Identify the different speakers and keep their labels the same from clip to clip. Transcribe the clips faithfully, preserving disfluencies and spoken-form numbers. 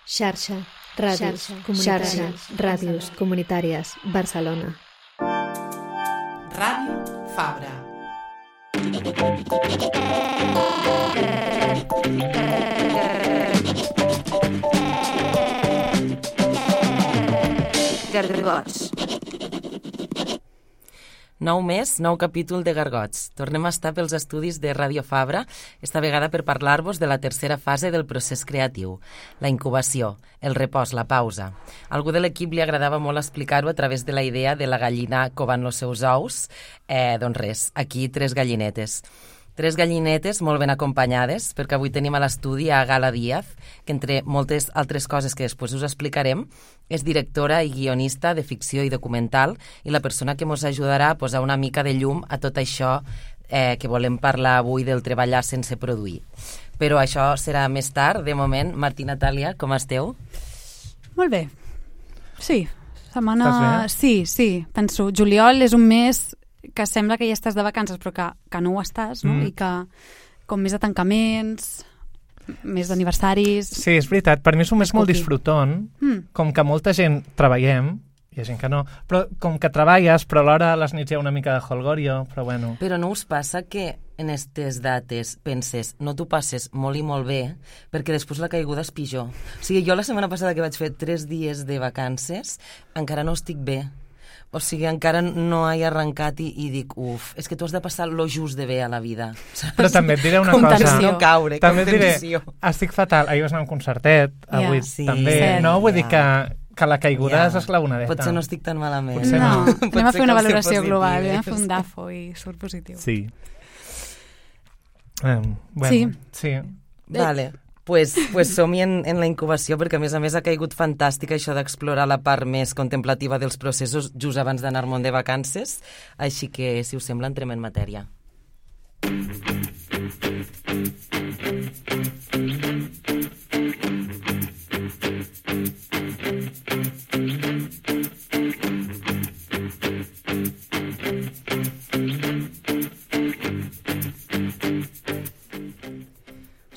Speaker 1: Xarxa, ràdios, xarxa, ràdios comunitàries, Barcelona.
Speaker 2: Ràdio Fabra.
Speaker 3: Gargots. Nou mes, nou capítol de Gargots. Tornem a estar pels estudis de Ràdio Fabra, esta vegada per parlar-vos de la tercera fase del procés creatiu, la incubació, el repòs, la pausa. A algú de l'equip li agradava molt explicar-ho a través de la idea de la gallina covant els seus ous. Eh, doncs res, aquí tres gallinetes. Tres gallinetes molt ben acompanyades, perquè avui tenim a l'estudi a Gala Díaz, que entre moltes altres coses que després us explicarem, és directora i guionista de ficció i documental i la persona que ens ajudarà a posar una mica de llum a tot això eh, que volem parlar avui del treballar sense produir. Però això serà més tard. De moment, Martí, Natàlia, com esteu?
Speaker 4: Molt bé. Sí, setmana... Sí, sí, penso. Juliol és un mes que sembla que ja estàs de vacances, però que, que no ho estàs, no? Mm. I que com més de tancaments, més d'aniversaris...
Speaker 5: Sí, és veritat. Per mi és un mes molt disfrutant, mm. com que molta gent treballem, hi ha gent que no, però com que treballes, però alhora a les nits hi ha una mica de holgorio, però bueno...
Speaker 3: Però no us passa que en aquestes dates penses, no t'ho passes molt i molt bé, perquè després la caiguda és pitjor. O sigui, jo la setmana passada que vaig fer tres dies de vacances, encara no estic bé. O sigui, encara no he arrencat i, i dic, uf, és que tu has de passar lo just de bé a la vida. Saps?
Speaker 5: Però també et diré una
Speaker 3: contenció.
Speaker 5: cosa.
Speaker 3: No caure,
Speaker 5: també et diré,
Speaker 3: contenció.
Speaker 5: estic fatal. Ahir vas anar a un concertet, avui
Speaker 3: yeah, sí,
Speaker 5: també.
Speaker 3: cert,
Speaker 5: no, vull
Speaker 3: yeah.
Speaker 5: dir que, que la caiguda
Speaker 3: yeah.
Speaker 5: és esclaonadeta.
Speaker 3: Potser no estic tan malament.
Speaker 5: Potser
Speaker 4: no.
Speaker 5: no.
Speaker 4: no. Anem a fer una valoració global,
Speaker 3: eh?
Speaker 4: anem a fer un dafo i surt positiu.
Speaker 5: Sí. Um, bueno,
Speaker 4: sí.
Speaker 5: sí.
Speaker 3: Vale. Pues, pues som-hi en, en la incubació, perquè a més a més ha caigut fantàstica això d'explorar la part més contemplativa dels processos just abans d'anar-me'n de vacances, així que, si us sembla, entrem en matèria.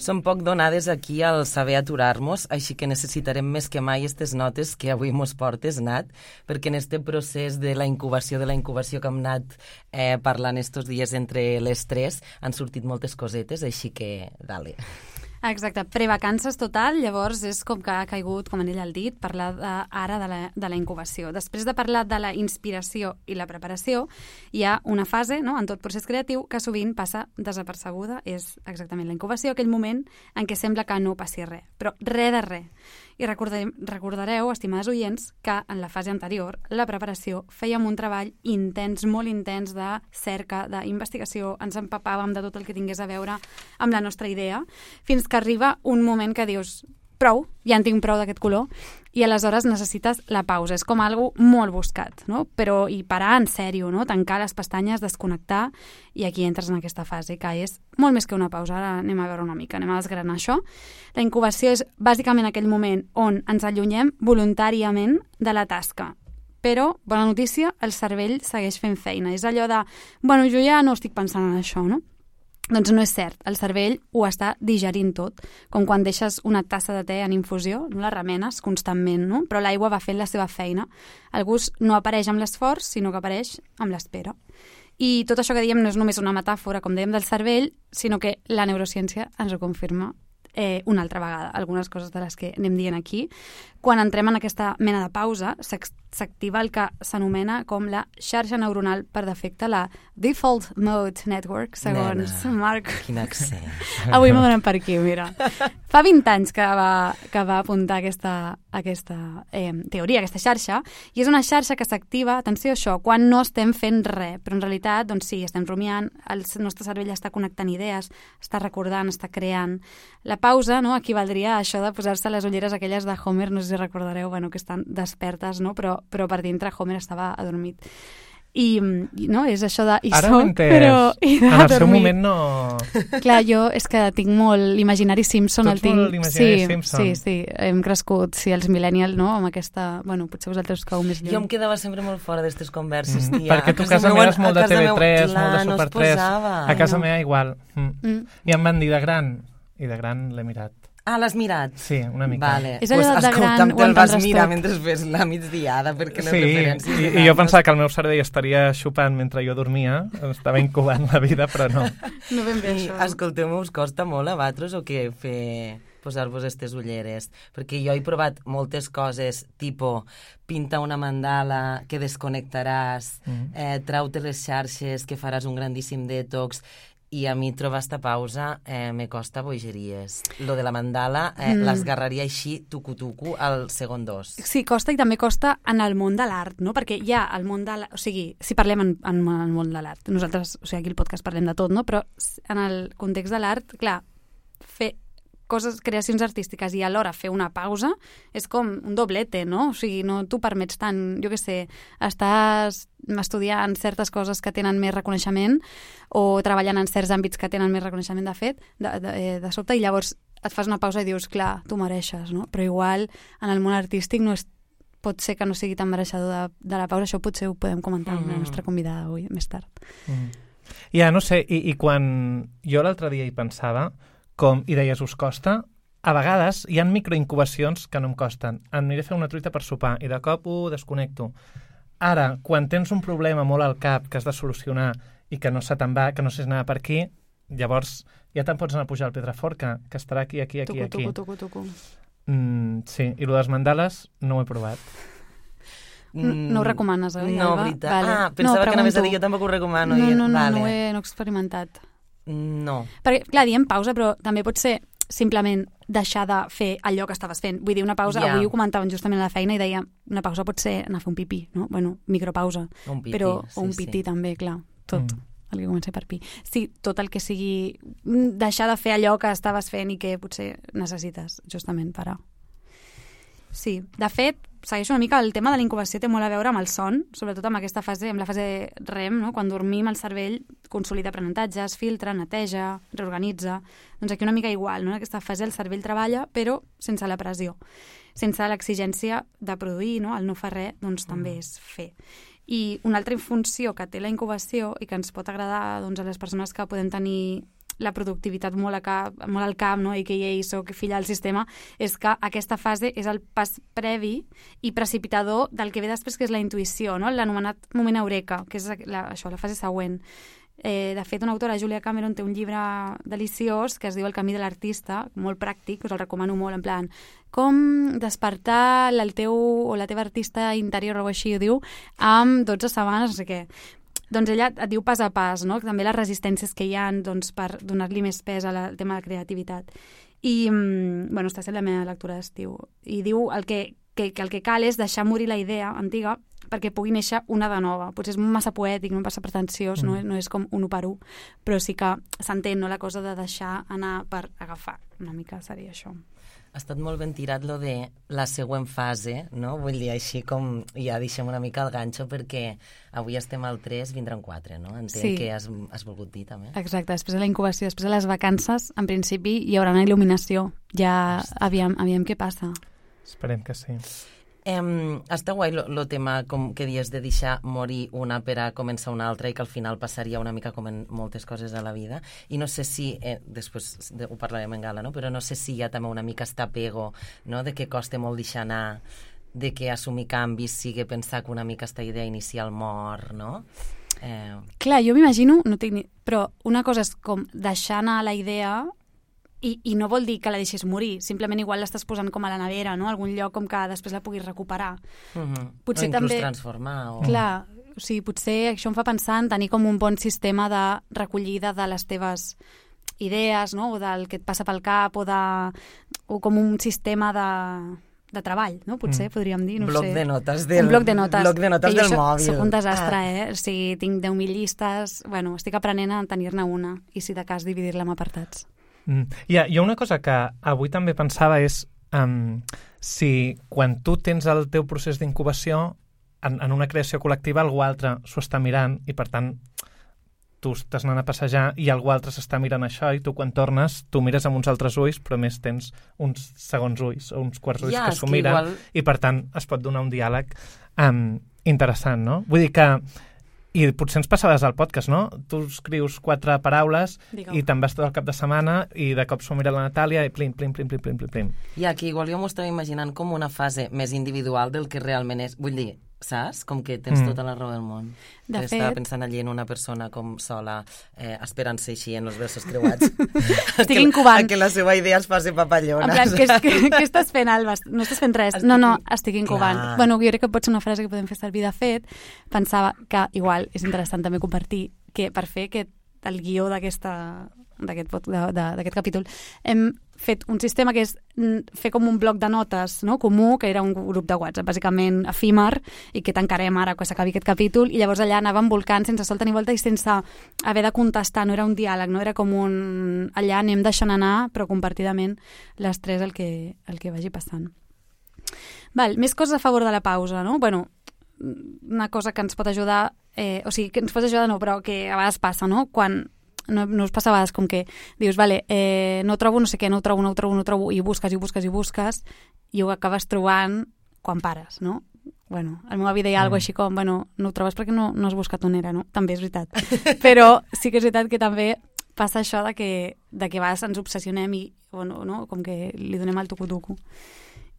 Speaker 3: Som poc donades aquí al saber aturar-nos, així que necessitarem més que mai aquestes notes que avui mos portes, Nat, perquè en este procés de la incubació de la incubació que hem anat eh, parlant estos dies entre les tres han sortit moltes cosetes, així que dale.
Speaker 4: Exacte, prevacances total, llavors és com que ha caigut, com en ell ha dit, parlar de, ara de la, de la incubació. Després de parlar de la inspiració i la preparació, hi ha una fase, no?, en tot procés creatiu que sovint passa desapercebuda, és exactament la incubació, aquell moment en què sembla que no passi res, però res de res. I recordarem, recordareu, estimades oients, que en la fase anterior, la preparació, fèiem un treball intens, molt intens de cerca, d'investigació, ens empapàvem de tot el que tingués a veure amb la nostra idea, fins que arriba un moment que dius, prou, ja en tinc prou d'aquest color, i aleshores necessites la pausa. És com algo molt buscat, no? Però i parar en sèrio, no? Tancar les pestanyes, desconnectar, i aquí entres en aquesta fase, que és molt més que una pausa. Ara anem a veure una mica, anem a desgranar això. La incubació és bàsicament aquell moment on ens allunyem voluntàriament de la tasca. Però, bona notícia, el cervell segueix fent feina. És allò de, bueno, jo ja no estic pensant en això, no? Doncs no és cert, el cervell ho està digerint tot, com quan deixes una tassa de te en infusió, no la remenes constantment, no? Però l'aigua va fent la seva feina. El gust no apareix amb l'esforç, sinó que apareix amb l'espera. I tot això que diem no és només una metàfora, com dèiem, del cervell, sinó que la neurociència ens ho confirma eh, una altra vegada, algunes coses de les que anem dient aquí. Quan entrem en aquesta mena de pausa, s'activa el que s'anomena com la xarxa neuronal per defecte, la Default Mode Network, segons
Speaker 3: Nena,
Speaker 4: Marc.
Speaker 3: Quin accent.
Speaker 4: Avui m'ho donen per aquí, mira. Fa vint anys que va, que va apuntar aquesta, aquesta eh, teoria, aquesta xarxa, i és una xarxa que s'activa, atenció a això, quan no estem fent res, però en realitat, doncs sí, estem rumiant, el nostre cervell està connectant idees, està recordant, està creant. La pausa, no?, equivaldria a això de posar-se les ulleres aquelles de Homer, no sé si recordareu, bueno, que estan despertes, no?, però, però per dintre Homer estava adormit. I, i no, és això de... I
Speaker 5: Ara
Speaker 4: soc,
Speaker 5: ho entès.
Speaker 4: però... I
Speaker 5: en el seu
Speaker 4: dormir.
Speaker 5: moment no...
Speaker 4: Clar, jo és que tinc molt l'imaginari Simpson.
Speaker 5: Tots
Speaker 4: el tinc...
Speaker 5: molt l'imaginari
Speaker 4: sí,
Speaker 5: Simpson.
Speaker 4: Sí, sí, hem crescut, sí, els millennials, no?, amb aquesta... Bueno, potser vosaltres cau més lluny.
Speaker 3: Jo em quedava sempre molt fora d'aquestes converses, tia.
Speaker 5: Mm, perquè tu a casa meva és molt de T V tres, molt de Super tres.
Speaker 3: No
Speaker 5: a casa
Speaker 3: no.
Speaker 5: meva igual. Mm.
Speaker 4: Mm.
Speaker 5: I em van dir de gran, i de gran l'he mirat.
Speaker 3: Ah, l'has mirat?
Speaker 5: Sí, una mica.
Speaker 3: Vale.
Speaker 4: És allò
Speaker 3: pues,
Speaker 4: de gran
Speaker 3: escolta'm, te'l vas
Speaker 4: guantar
Speaker 3: mirar
Speaker 4: tot.
Speaker 3: mentre fes la migdiada, perquè les
Speaker 5: Sí,
Speaker 3: referències...
Speaker 5: i, i jo pensava que el meu cervell estaria xupant mentre jo dormia, estava incubant la vida, però no.
Speaker 4: No ben bé,
Speaker 3: I,
Speaker 4: això.
Speaker 3: escolteu-me, us costa molt a vosaltres o què fer posar-vos aquestes ulleres? Perquè jo he provat moltes coses, tipo pinta una mandala que desconnectaràs, mm. eh, trau-te les xarxes que faràs un grandíssim detox, i a mi trobar esta pausa eh, me costa bogeries. Lo de la mandala eh, mm. l'esgarraria així tucu-tucu al segon dos.
Speaker 4: Sí, costa i també costa en el món de l'art, no? Perquè hi ha el món de l'art, o sigui, si parlem en, en el món de l'art, nosaltres, o sigui, aquí al podcast parlem de tot, no? Però en el context de l'art, clar, fer coses, creacions artístiques i alhora fer una pausa és com un doblete, no? O sigui, no t'ho permets tant, jo què sé, estàs estudiant certes coses que tenen més reconeixement o treballant en certs àmbits que tenen més reconeixement de fet, de, de, de sobte, i llavors et fas una pausa i dius, clar, tu mereixes, no? Però igual en el món artístic no és, pot ser que no sigui tan mereixedor de, de la pausa, això potser ho podem comentar amb mm. la nostra convidada avui, més tard.
Speaker 5: Mm. Ja, no sé, i, i quan jo l'altre dia hi pensava, com, i deies, us costa, a vegades hi ha microincubacions que no em costen. Em aniré a fer una truita per sopar i de cop ho desconnecto. Ara, quan tens un problema molt al cap que has de solucionar i que no se te'n va, que no saps anar per aquí, llavors ja te'n pots anar a pujar al Pedraforca, que estarà aquí, aquí, aquí,
Speaker 4: tucu,
Speaker 5: aquí.
Speaker 4: Tucu, tucu, tucu.
Speaker 5: Mm, sí, i el de les mandales no ho he provat.
Speaker 4: No, no ho recomanes, eh?
Speaker 3: No,
Speaker 4: Alba?
Speaker 3: veritat.
Speaker 4: Vale.
Speaker 3: Ah, pensava
Speaker 4: no,
Speaker 3: que anaves a dir, jo tampoc ho recomano.
Speaker 4: No,
Speaker 3: i...
Speaker 4: no, no,
Speaker 3: vale.
Speaker 4: no, ho he, no he experimentat.
Speaker 3: No.
Speaker 4: Perquè, clar, diem pausa, però també pot ser simplement deixar de fer allò que estaves fent. Vull dir, una pausa,
Speaker 3: yeah.
Speaker 4: avui ho comentàvem justament a la feina i deia, una pausa pot ser anar a fer un pipí, no? Bueno, micropausa.
Speaker 3: Un pipí,
Speaker 4: però,
Speaker 3: sí,
Speaker 4: o un pití
Speaker 3: sí.
Speaker 4: també, clar, tot. Mm. El que comença per pi. Sí, tot el que sigui deixar de fer allò que estaves fent i que potser necessites justament parar. Sí, de fet, segueixo una mica, el tema de la incubació té molt a veure amb el son, sobretot amb aquesta fase, amb la fase REM, no? Quan dormim el cervell consolida aprenentatges, filtra, neteja, reorganitza. Doncs aquí una mica igual, no? En aquesta fase el cervell treballa, però sense la pressió, sense l'exigència de produir, no? El no fer res, doncs mm. també és fer. I una altra funció que té la incubació i que ens pot agradar doncs, a les persones que podem tenir la productivitat molt, a cap, molt al cap, no? A K A, soc filla del sistema, és que aquesta fase és el pas previ i precipitador del que ve després, que és la intuïció, no? L'anomenat moment eureka, que és la, això, la fase següent. Eh, de fet, una autora, Julia Cameron, té un llibre deliciós que es diu El camí de l'artista, molt pràctic, us el recomano molt, en plan, com despertar el teu o la teva artista interior, o així ho diu, amb dotze setmanes, no sé què. Doncs ella et diu pas a pas, no? També les resistències que hi ha, doncs, per donar-li més pes al tema de la creativitat. I, bueno, està sent la meva lectura d'estiu. I diu el que, que, que el que cal és deixar morir la idea antiga perquè pugui néixer una de nova. Potser és massa poètic, no massa pretensiós, mm. no, no és com un u per u, però sí que s'entén, no?, la cosa de deixar anar per agafar. Una mica seria això.
Speaker 3: Ha estat molt ben tirat lo de la següent fase, no? Vull dir, així com ja deixem una mica el ganxo, perquè avui estem al tres, vindran quatre, no? Entenc sí. que has, has volgut dir, també. Exacte,
Speaker 4: després de la incubació, després de les vacances, en principi hi haurà una il·luminació. Ja aviam, aviam què passa.
Speaker 5: Esperem que sí.
Speaker 3: Um, està guai el tema, com que dius, de deixar morir una per a començar una altra i que al final passaria una mica com en moltes coses a la vida. I no sé si, eh, després de, ho parlarem en gala, no? Però no sé si hi ha també una mica este apego, no? De que costa molt deixar anar, de que assumir canvis sigui pensar que una mica esta idea inicial mor, no? Eh...
Speaker 4: Clar, jo m'imagino, no tinc ni... però una cosa és com deixar anar la idea... I, I no vol dir que la deixis morir, simplement igual l'estàs posant com a la nevera, no? A algun lloc com que després la puguis recuperar.
Speaker 3: Uh-huh. Potser o inclús també... transformar. O...
Speaker 4: Clar, o sigui, potser això em fa pensar en tenir com un bon sistema de recollida de les teves idees, no? O del que et passa pel cap, o, de... o com un sistema de... de treball, no? Potser, mm. podríem dir, no
Speaker 3: bloc
Speaker 4: sé.
Speaker 3: De notes del...
Speaker 4: Un bloc de notes.
Speaker 3: Bloc de notes del
Speaker 4: soc,
Speaker 3: mòbil.
Speaker 4: Soc un desastre, ah. eh? O sigui, tinc deu mil llistes... Bueno, estic aprenent a tenir-ne una i, si de cas, dividir-la en apartats.
Speaker 5: Mm. Ja, jo una cosa que avui també pensava és um, si quan tu tens el teu procés d'incubació en, en una creació col·lectiva algú altre s'ho està mirant i per tant tu estàs anant a passejar i algú altre s'està mirant això i tu quan tornes tu mires amb uns altres ulls però més tens uns segons ulls o uns quarts ulls ja, que s'ho que miren igual... i per tant es pot donar un diàleg um, interessant, no? Vull dir que I potser ens passaves al podcast, no? Tu escrius quatre paraules
Speaker 4: Digue'm.
Speaker 5: i te'n vas tot el cap de setmana i de cop s'ho mira la Natàlia i plim, plim, plim, plim, plim, plim, plim.
Speaker 3: I aquí igual jo m'ho estava imaginant com una fase més individual del que realment és. Vull dir, saps? Com que tens
Speaker 5: Mm.
Speaker 3: tota la raó del món.
Speaker 4: De
Speaker 3: Que
Speaker 4: fet-
Speaker 3: Estava pensant allí en una persona com sola, eh, esperant-se així en els versos creuats.
Speaker 4: Estic
Speaker 3: que,
Speaker 4: incubant.
Speaker 3: a que la seva idea es faci papallona.
Speaker 4: En plan, què, què, què estàs fent, Alba? No estàs fent res.
Speaker 3: Estic
Speaker 4: No, no,
Speaker 3: in-
Speaker 4: estic incubant.
Speaker 3: Clar.
Speaker 4: Bueno, jo crec que pot ser una frase que podem fer servir. De fet, pensava que igual és interessant també compartir que per fer aquest, el guió d'aquesta d'aquest pot- de- de- d'aquest capítol, hem fet un sistema que és mm, fer com un bloc de notes, no?, comú, que era un grup de WhatsApp, bàsicament efímer, i que tancarem ara quan s'acabi aquest capítol, i llavors allà anàvem volcant sense solta ni volta i sense haver de contestar, no era un diàleg, no era com un... Allà anem deixant anar, però compartidament les tres el que, el que vagi passant. Val, més coses a favor de la pausa, no? Bueno, una cosa que ens pot ajudar, eh, o sigui, que ens pot ajudar no, però que a vegades passa, no? Quan no, no us passa a vegades com que dius, vale, eh, no trobo no sé què, no ho trobo, no ho trobo, no ho trobo, i busques, i busques, i busques, i ho acabes trobant quan pares, no? Bueno, el meu avi deia mm. alguna així com, bueno, no ho trobes perquè no, no has buscat on era, no? També és veritat. Però sí que és veritat que també passa això de que, de que a vegades ens obsessionem i, bueno, no? Com que li donem el tucu-tucu.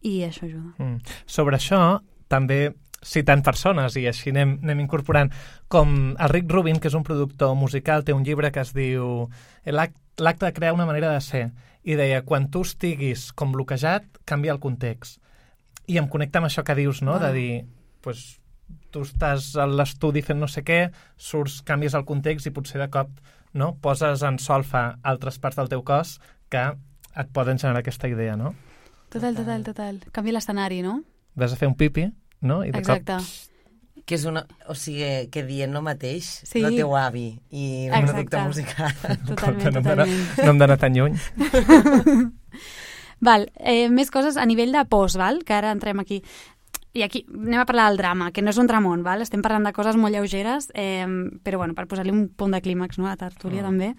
Speaker 4: I això ajuda.
Speaker 5: Mm. Sobre això, també citant persones, i així anem, anem incorporant, com el Rick Rubin, que és un productor musical, té un llibre que es diu L'acte de crear una manera de ser, i deia, quan tu estiguis com bloquejat, canvia el context. I em connecta amb això que dius, no?, de dir, pues, tu estàs a l'estudi fent no sé què, surts, canvies el context i potser de cop, no?, poses en solfa altres parts del teu cos que et poden generar aquesta idea, no?
Speaker 4: Total, total, total. Canvia l'escenari, no?
Speaker 5: Vas a fer un pipi, no? I de
Speaker 4: Exacte.
Speaker 5: cop...
Speaker 3: Que és una... O sigui, que dient el mateix,
Speaker 4: Sí.
Speaker 3: el teu avi i un
Speaker 4: Exacte.
Speaker 3: producte musical.
Speaker 4: Totalment,
Speaker 5: no hem d'anar-
Speaker 4: totalment.
Speaker 5: no hem d'anar tan lluny.
Speaker 4: Val, eh, més coses a nivell de post, val? Que ara entrem aquí. I aquí anem a parlar del drama, que no és un dramón, val? Estem parlant de coses molt lleugeres, eh, però bueno, per posar-li un punt de clímax, no?, a la tertúlia,
Speaker 3: Mm.
Speaker 4: també.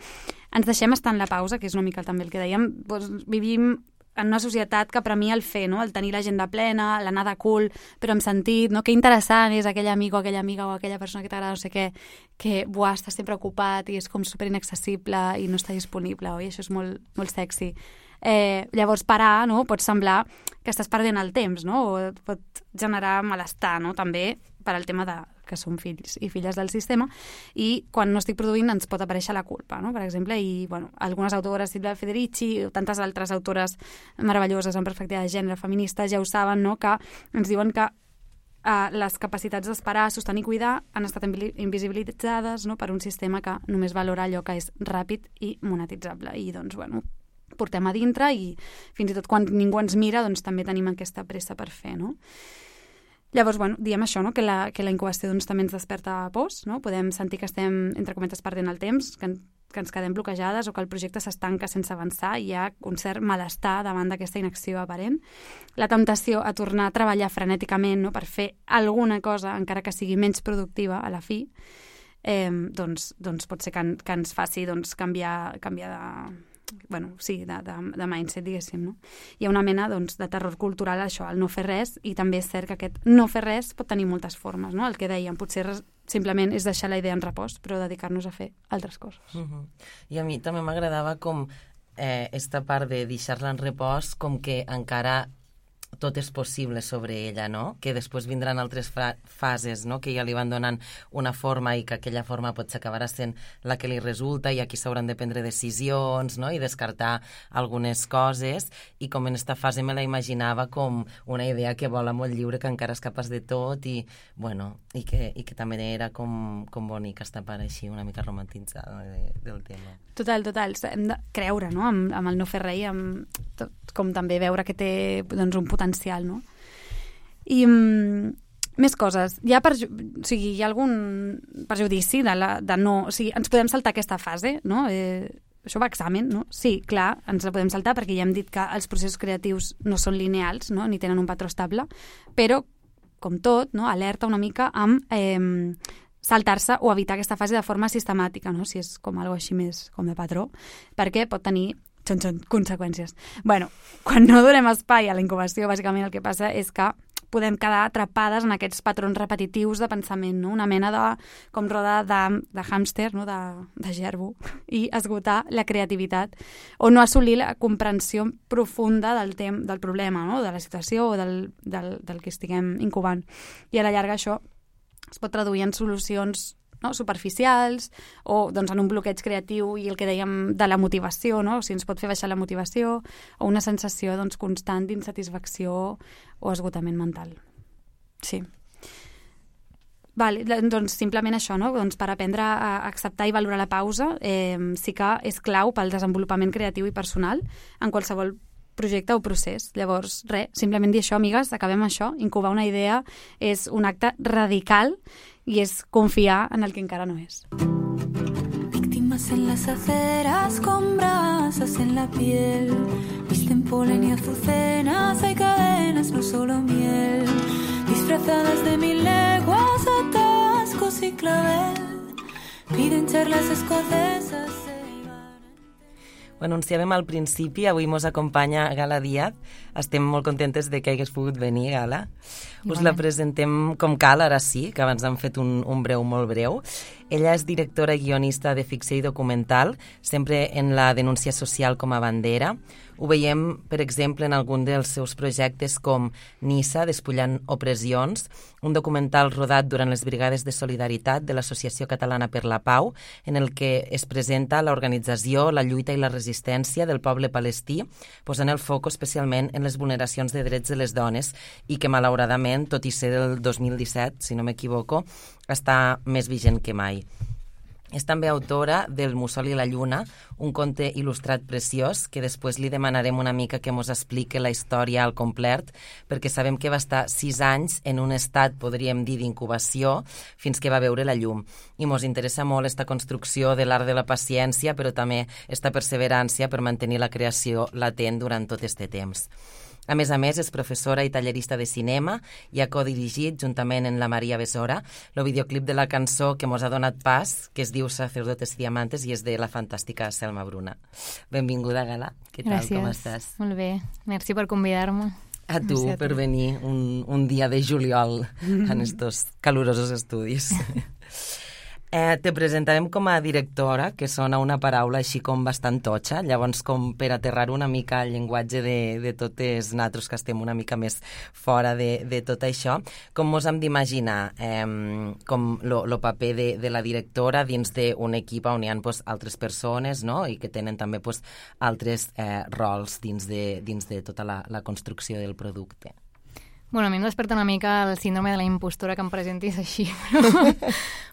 Speaker 4: Ens deixem estar en la pausa, que és una mica també el que dèiem. Doncs vivim en una societat que premia el fer, no?, el tenir l'agenda plena, l'anar de cool, però amb sentit, no?, que interessant és aquell amic o aquella amiga o aquella persona que t'agrada, no sé què, que, buah, està sempre ocupat i és com super inaccessible i no està disponible, oi? Això és molt, molt sexy. Eh, llavors, parar, no?, pot semblar que estàs perdent el temps, no?, o et pot generar malestar, no?, també per al tema de que som fills i filles del sistema, i quan no estic produint ens pot aparèixer la culpa, no?, per exemple, i, bueno, algunes autores, Silvia Federici, o tantes altres autores meravelloses en perspectiva de gènere, feministes, ja ho saben, no?, que ens diuen que eh, les capacitats d'esperar, sostenir i cuidar han estat invi- invisibilitzades, no?, per un sistema que només valora allò que és ràpid i monetitzable, i, doncs, bueno, portem a dintre i fins i tot quan ningú ens mira doncs també tenim aquesta pressa per fer, no? Llavors, bueno, diem això, no?, que la, que la incubació doncs, també ens desperta pors, no? Podem sentir que estem, entre cometes, perdent el temps, que, que ens quedem bloquejades o que el projecte s'estanca sense avançar i hi ha un cert malestar davant d'aquesta inacció aparent. La temptació a tornar a treballar frenèticament, no?, per fer alguna cosa, encara que sigui menys productiva a la fi, eh, doncs, doncs pot ser que, que ens faci doncs, canviar, canviar de... bueno, sí, de, de, de mindset, diguéssim, no? Hi ha una mena, doncs, de terror cultural a això, al no fer res, i també és cert que aquest no fer res pot tenir moltes formes, no? El que dèiem, potser res, simplement és deixar la idea en repòs, però dedicar-nos a fer altres coses.
Speaker 3: Uh -huh. I a mi també m'agradava com eh, esta part de deixar-la en repòs, com que encara tot és possible sobre ella, no? Que després vindran altres fases, no?, que ja li van donant una forma i que aquella forma potser acabarà sent la que li resulta i aquí s'hauran de prendre decisions, no?, i descartar algunes coses, i com en esta fase me la imaginava com una idea que vola molt lliure, que encara és capaç de tot i, bueno, i que, i que també era com, com bonica esta part així una mica romantitzada de, del tema.
Speaker 4: Total, total. Hem de creure, no?, amb, amb el no fer res i amb tot, com també veure que té doncs, un potencial, no? I mm, més coses. Hi ha, perju o sigui, hi ha algun perjudici de, la, de no... O sigui, ens podem saltar aquesta fase, no? Eh, això va a examen, no? Sí, clar, ens la podem saltar perquè ja hem dit que els processos creatius no són lineals, no?, ni tenen un patró estable, però, com tot, no?, alerta una mica amb... Eh, saltar-se o evitar aquesta fase de forma sistemàtica, no?, si és com algo així més com de patró, perquè pot tenir xon, xon, conseqüències. Bueno, quan no donem espai a la incubació, bàsicament el que passa és que podem quedar atrapades en aquests patrons repetitius de pensament, no? Una mena de, com roda de, de hàmster, no? de, de gerbo, i esgotar la creativitat o no assolir la comprensió profunda del, tem del problema, no? De la situació o del, del, del que estiguem incubant. I a la llarga això es pot traduir en solucions, no? superficials o doncs, en un bloqueig creatiu i el que dèiem de la motivació, no? O sigui, ens pot fer baixar la motivació o una sensació doncs, constant d'insatisfacció o esgotament mental. Sí. Vale, doncs simplement això, no? Doncs per aprendre a acceptar i valorar la pausa eh, sí que és clau pel desenvolupament creatiu i personal en qualsevol projecte o procés. Llavors, res, simplement dir això, amigues, acabem això. Incubar una idea és un acte radical y es confiar en el que encara no es.
Speaker 2: Víctimas en las aceras con brasas en la piel, visten polen y azucenas, hay cadenas, no solo miel, disfrazadas de mil leguas, atascos y clavel, piden charlas escocesas.
Speaker 3: Ho anunciàvem al principi, avui mos acompanya Gala Díaz. Estem molt contentes de que hagués pogut venir, Gala. Us la presentem com cal, ara sí, que abans hem fet un, un breu molt breu. Ella és directora i guionista de ficció i documental, sempre en la denúncia social com a bandera. Ho veiem, per exemple, en algun dels seus projectes com Nissa, despullant opressions, un documental rodat durant les Brigades de Solidaritat de l'Associació Catalana per la Pau, en el que es presenta l'organització, la lluita i la resistència del poble palestí, posant el foc especialment en les vulneracions de drets de les dones i que, malauradament, tot i ser del dos mil disset, si no m'equivoco, està més vigent que mai. És també autora del Mussol i la Lluna, un conte il·lustrat preciós que després li demanarem una mica que mos explique la història al complet, perquè sabem que va estar sis anys en un estat, podríem dir, d'incubació, fins que va veure la llum. I mos interessa molt esta construcció de l'art de la paciència, però també esta perseverància per mantenir la creació latent durant tot este temps. A més a més, és professora i tallerista de cinema i ha codirigit, juntament amb la Maria Besora, el videoclip de la cançó que mos ha donat pas, que es diu Sacerdotes Diamantes i és de la fantàstica Selma Bruna. Benvinguda, Gala. Què tal,
Speaker 6: Gràcies.
Speaker 3: Com estàs?
Speaker 6: Molt bé. Merci per convidar-me.
Speaker 3: A tu,
Speaker 6: Merci a
Speaker 3: per
Speaker 6: tu.
Speaker 3: venir un, un dia de juliol en estos calurosos estudis. Eh, te presentàvem com a directora, que sona una paraula així com bastant totxa, llavors com per aterrar una mica el llenguatge de, de totes nosaltres que estem una mica més fora de, de tot això, com mos hem d'imaginar eh, com el paper de, de la directora dins d'un equip on hi ha pues, altres persones, no? I que tenen també pues, altres eh, rols dins de, dins de tota la, la construcció del producte.
Speaker 6: Bueno, a mi em desperta una mica el síndrome de la impostora que em presentis així, però,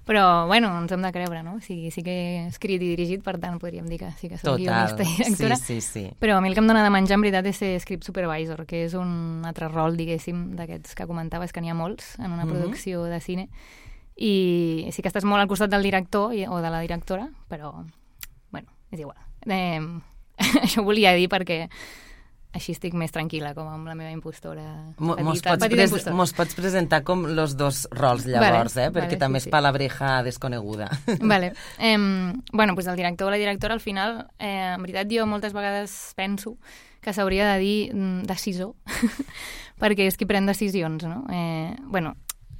Speaker 6: però bueno, ens hem de creure, no? O sigui, sí que he escrit i dirigit, per tant, podríem dir que sí que soc guionista i directora.
Speaker 3: Sí, sí, sí.
Speaker 6: Però a mi el que em dona de menjar, en veritat, és ser script supervisor, que és un altre rol, diguéssim, d'aquests que comentaves, que n'hi ha molts en una producció de cine. I sí que estàs molt al costat del director i, o de la directora, però, bueno, és igual. Eh, això ho volia dir perquè així estic més tranquil·la, com amb la meva impostora petita.
Speaker 3: Mos pots,
Speaker 6: petita
Speaker 3: pres
Speaker 6: impostora.
Speaker 3: mos pots presentar com els dos rols, llavors,
Speaker 6: vale,
Speaker 3: eh? Perquè
Speaker 6: vale,
Speaker 3: també
Speaker 6: sí,
Speaker 3: és
Speaker 6: sí.
Speaker 3: palabreja desconeguda.
Speaker 6: Vale. Eh, bueno, pues el director o la directora, al final, eh, en veritat, jo moltes vegades penso que s'hauria de dir mm, decisor, perquè és qui pren decisions, no? Eh, bueno,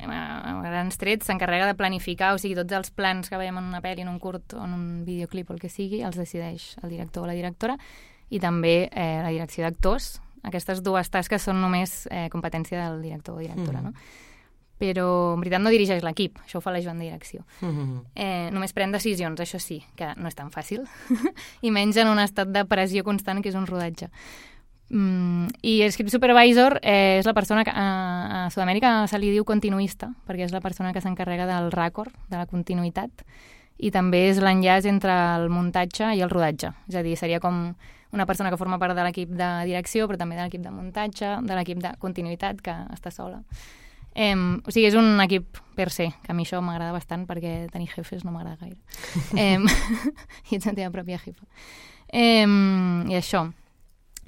Speaker 6: a grans trets s'encarrega de planificar, o sigui, tots els plans que veiem en una pel·li, en un curt o en un videoclip o el que sigui, els decideix el director o la directora, i també eh, la direcció d'actors. Aquestes dues tasques són només eh, competència del director o directora, mm. no? Però en veritat no dirigeix l'equip, això ho fa la Joan de direcció. Mm-hmm. Eh, només pren decisions, això sí, que no és tan fàcil, i menys en un estat de pressió constant que és un rodatge. Mm, I el script supervisor eh, és la persona que a, a Sud-amèrica se li diu continuista, perquè és la persona que s'encarrega del ràcord, de la continuïtat, i també és l'enllaç entre el muntatge i el rodatge. És a dir, seria com una persona que forma part de l'equip de direcció, però també de l'equip de muntatge, de l'equip de continuïtat, que està sola. Eh, o sigui, és un equip per se, que a mi això m'agrada bastant perquè tenir jefes no m'agrada gaire. eh, I ets la teva pròpia jefa. Eh, I això.